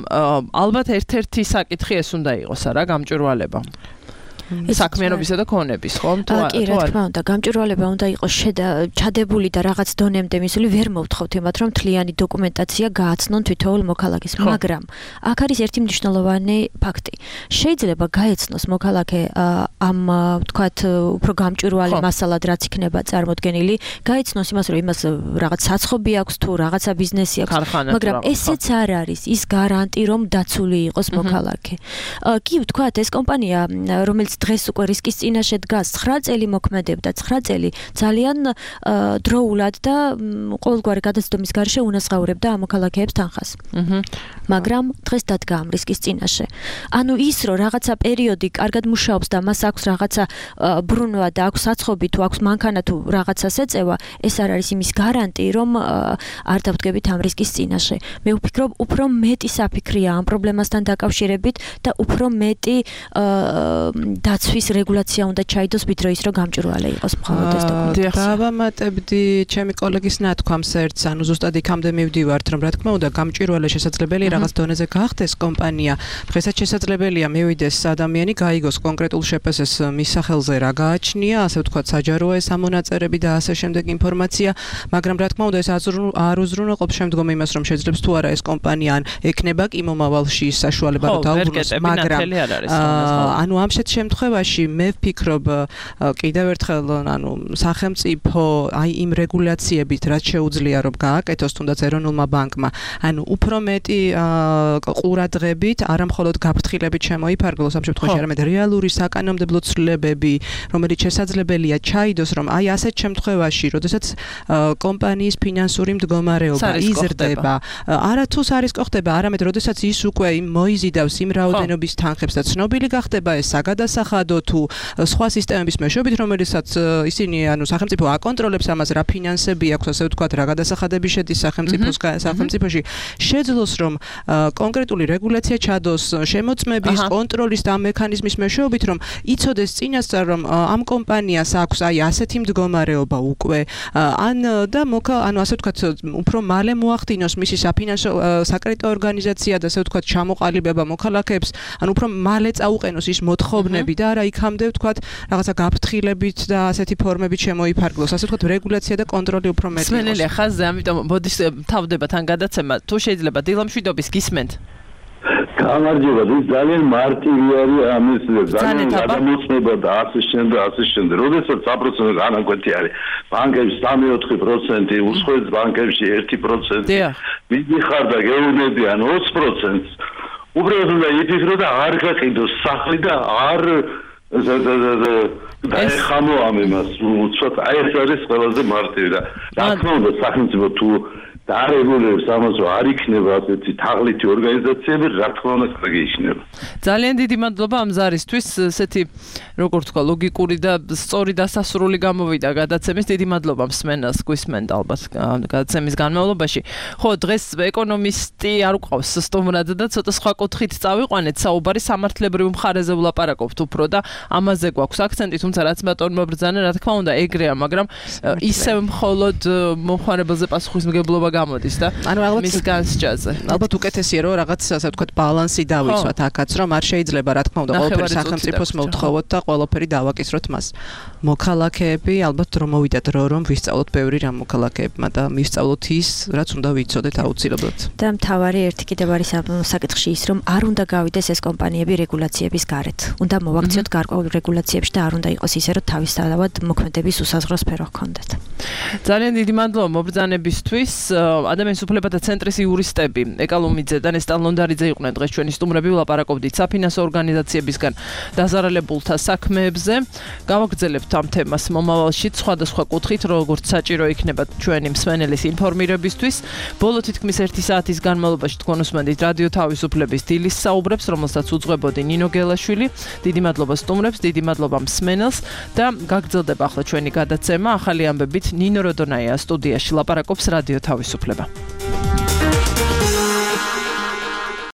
ალბათ ერთ-ერთი საკითხი ეს უნდა იყოს, არა, გამჭვირვალება. საქმიანობისა და ქონების, ხომ? თუ კი, რა თქმა უნდა, გამჭვირვალება უნდა იყოს ჩადებული და რაღაც დონემდე მისული, ვერ მოვთხოვთ იმათ, რომ თლიანი დოკუმენტაცია გააცნონ თითოეულ მოქალაქეს, მაგრამ აქ არის ერთი მნიშვნელოვანი ფაქტი. შეიძლება გაეცნოს მოქალაქე ამ, თქვათ, უფრო გამჭვირვალე მასალად, რაც იქნება წარმოდგენილი, გაეცნოს იმას, რომ იმას რაღაც საცხობი აქვს თუ რაღაცა ბიზნესი აქვს, მაგრამ ესეც არ არის ის გარანტი, რომ დაცული იყოს მოქალაქე. კი, ვთქვათ, ეს კომპანია, რომელიც დღეს უკვე რისკის წინაშე დგას, ცხრა წელი მოქმედებდა, ცხრა წელი ძალიან დროულად და ყოველგვარი გადაცდომის გარეშე უნასხაურებდა ამ მოქალაქეებს თანხას. მაგრამ დღეს დადგა ამ რისკის წინაშე. ანუ ის, რომ რაღაცა პერიოდი კარგად მუშაობს და მას აქვს რაღაცა ბრუნვა და აქვს საცხობი თუ აქვს მანქანა თუ რაღაცას ეწევა, ეს არ არის იმის გარანტი, რომ არ დავდგებით ამ რისკის წინაშე. მე ვფიქრობ, უფრო მეტი საფიქრია ამ პრობლემასთან დაკავშირებით და უფრო მეტი დაცვის რეგულაცია უნდა ჩაიდოს, ვიდრე ის, რომ გამჭვირვალე იყოს მხოლოდ ეს დოკუმენტაცია. დავამატებდი ჩემი კოლეგის ნათქვამს ერთს, ანუ ზუსტად იქამდე მივდივართ, რომ რა თქმა უნდა, გამჭვირვალე შესაძლებელია რაღაც დონეზე გახდეს კომპანია. დღესაც შესაძლებელია მივიდეს ადამიანი, გაიგოს კონკრეტულ შეფასებას მის სახელზე რა გააჩნია, ასე ვთქვათ, საჯაროა ეს ამონაწერები და ასე შემდეგ ინფორმაცია, მაგრამ რა თქმა უნდა, ეს არ უზრუნველყოფს შემდგომ იმას, რომ შეძლებს თუ არა ეს კომპანია ან ექნება კი მომავალში საშუალება რომ დაუბრუნოს, მაგრამ ანუ ამ შეთ შემთხვევაში მე ვფიქრობ კიდევ ერთხელ ანუ სახელმწიფო აი იმ რეგულაციებით რაც შეუძლია რომ გააკეთოს თუნდაც ეროვნულმა ბანკმა ანუ უფრო მეტი ყურადღებით არა მხოლოდ გაფრთხილებით შემოიფარგლოს ამ შემთხვევაში არამედ რეალური საკანონმდებლო ცვლილებები რომელიც შესაძლებელია ჩაიდოს რომ აი ასეთ შემთხვევაში როდესაც კომპანიის ფინანსური მდგომარეობა იზრდება არათუ სარისკო ხდება არამედ როდესაც ის უკვე მოიზიდავს იმ რაოდენობის თანხებს და ცნობილი გახდება ეს გადასახადო თუ სხვა სისტემების მეშვეობით, რომელიცაც ისინი ანუ სახელმწიფო აკონტროლებს ამას რა ფინანსები აქვს, ასე ვთქვათ, რა გადასახადები შედის სახელმწიფოს სახელმწიფოში, შეძლოს რომ კონკრეტული რეგულაცია ჩადოს შემოწმების, კონტროლის და მექანიზმის მეშვეობით, რომ იცოდეს წინასწარ რომ ამ კომპანიას აქვს აი ასეთი მდგომარეობა უკვე, ან და მოკა, ანუ ასე ვთქვათ, უფრო მალე მოახდინოს მისი საფინანსო საკრედიტო ორგანიზაცია და ასე ვთქვათ, ჩამოყალიბება მოქალაქეებს, ანუ უფრო მალე წაუყენოს ის მოთხოვნები და არა იქამდე ვთქვათ რაღაცა გაფრთხილებით და ასეთი ფორმებით შემოიფარგლოს. ასე ვთქვათ, რეგულაცია და კონტროლი უფრო მეტი იყოს. სმენელია ხაზზე, ამიტომ მოდის თავდება თან გადაცემა. თუ შეიძლება დილამშვიდობის გისმენთ. გამარჯობა, ის ძალიან მარტივი არის ამის ძალიან გადამოცნება და ასე შემდეგ და ასე შემდეგ. როდესაც სამი პროცენტი განაკვეთი არის, ბანკებში სამი-ოთხი პროცენტი, უსხოეთ ბანკებში ერთი პროცენტი. მიდიხარ და გეუბნებიან ოცი პროცენტს. უბრალოდ უნდა იფიქრო და არ გაყიდოს სახლი და არ და ეხამო ამ იმას უცბად აი ეს არის ყველაზე მარტივი და რა თქმა უნდა სახელმწიფო თუ დარეგულირებს ამას რომ არ იქნება ასეთი თაღლითი ორგანიზაციები რა თქმა უნდა გეიშნება. ძალიან დიდი მადლობა ამ ზარისთვის, ესეთი როგორ თქვა ლოგიკური და სწორი დასასრული გამოვიდა გადაცემის. დიდი მადლობა მსმენელს, გვისმენთ ალბათ გადაცემის განმავლობაში. ხო, დღეს ეკონომისტი არ უყავს სტუმრად და ცოტა სხვა კუთხით წავიყვანეთ, საუბარი სამართლებრივ მხარეზე ვლაპარაკობთ უფრო და ამაზე გვაქვს აქცენტი, თუმცა რაც ბატონმა ბრძანა, რა თქმა უნდა, ეგრეა, მაგრამ ისევ მხოლოდ მომხმარებელზე პასუხისმგებლობა გამოდის და მის განსჯაზე. ალბათ უკეთესია რომ რაღაც ასე ვთქვათ ბალანსი დავიცვათ აქაც რომ არ შეიძლება რა თქმა უნდა ყველაფერი სახელმწიფოს მოვთხოვოთ და ყველაფერი დავაკისროთ მას. მოქალაქეები ალბათ რომ მოვიდათ რო რომ ვისწავლოთ ბევრი რამ მოქალაქეებმა და მისწავლოთ ის რაც უნდა ვიცოდეთ აუცილებლად. და მთავარი ერთი კიდევ არის საკითხში ის რომ არ უნდა გავიდეს ეს კომპანიები რეგულაციების გარეთ. უნდა მოვაქციოთ გარკვეულ რეგულაციებში და არ უნდა იყოს ისე რომ თავისთავად მოქმედების უსაზღრო სფერო ჰქონდეთ. ძალიან დიდი მადლობა მობრძანებისთვის. ადამიანის უფლებათა ცენტრის იურისტები ეკალუმიძე და ნესტან ლონდარიძე იყვნენ დღეს ჩვენი სტუმრები, ვლაპარაკობდით საფინანსო ორგანიზაციებისგან დაზარალებულთა საქმეებზე. გავაგრძელებთ ამ თემას მომავალში სხვადასხვა კუთხით, როგორც საჭირო იქნება ჩვენი მსმენელის ინფორმირებისთვის. ბოლო თითქმის ერთი საათის განმავლობაში თქვენ უსმენთ რადიო თავისუფლების დილის საუბრებს, რომელსაც უძღვებოდი ნინო გელაშვილი. დიდი მადლობა სტუმრებს, დიდი მადლობა მსმენელს და გაგრძელდება ახლა ჩვენი გადაცემა ახალი ამბებით. ნინო როდონაია სტუდიაში ლაპარაკობს რადიო თავისუფლება.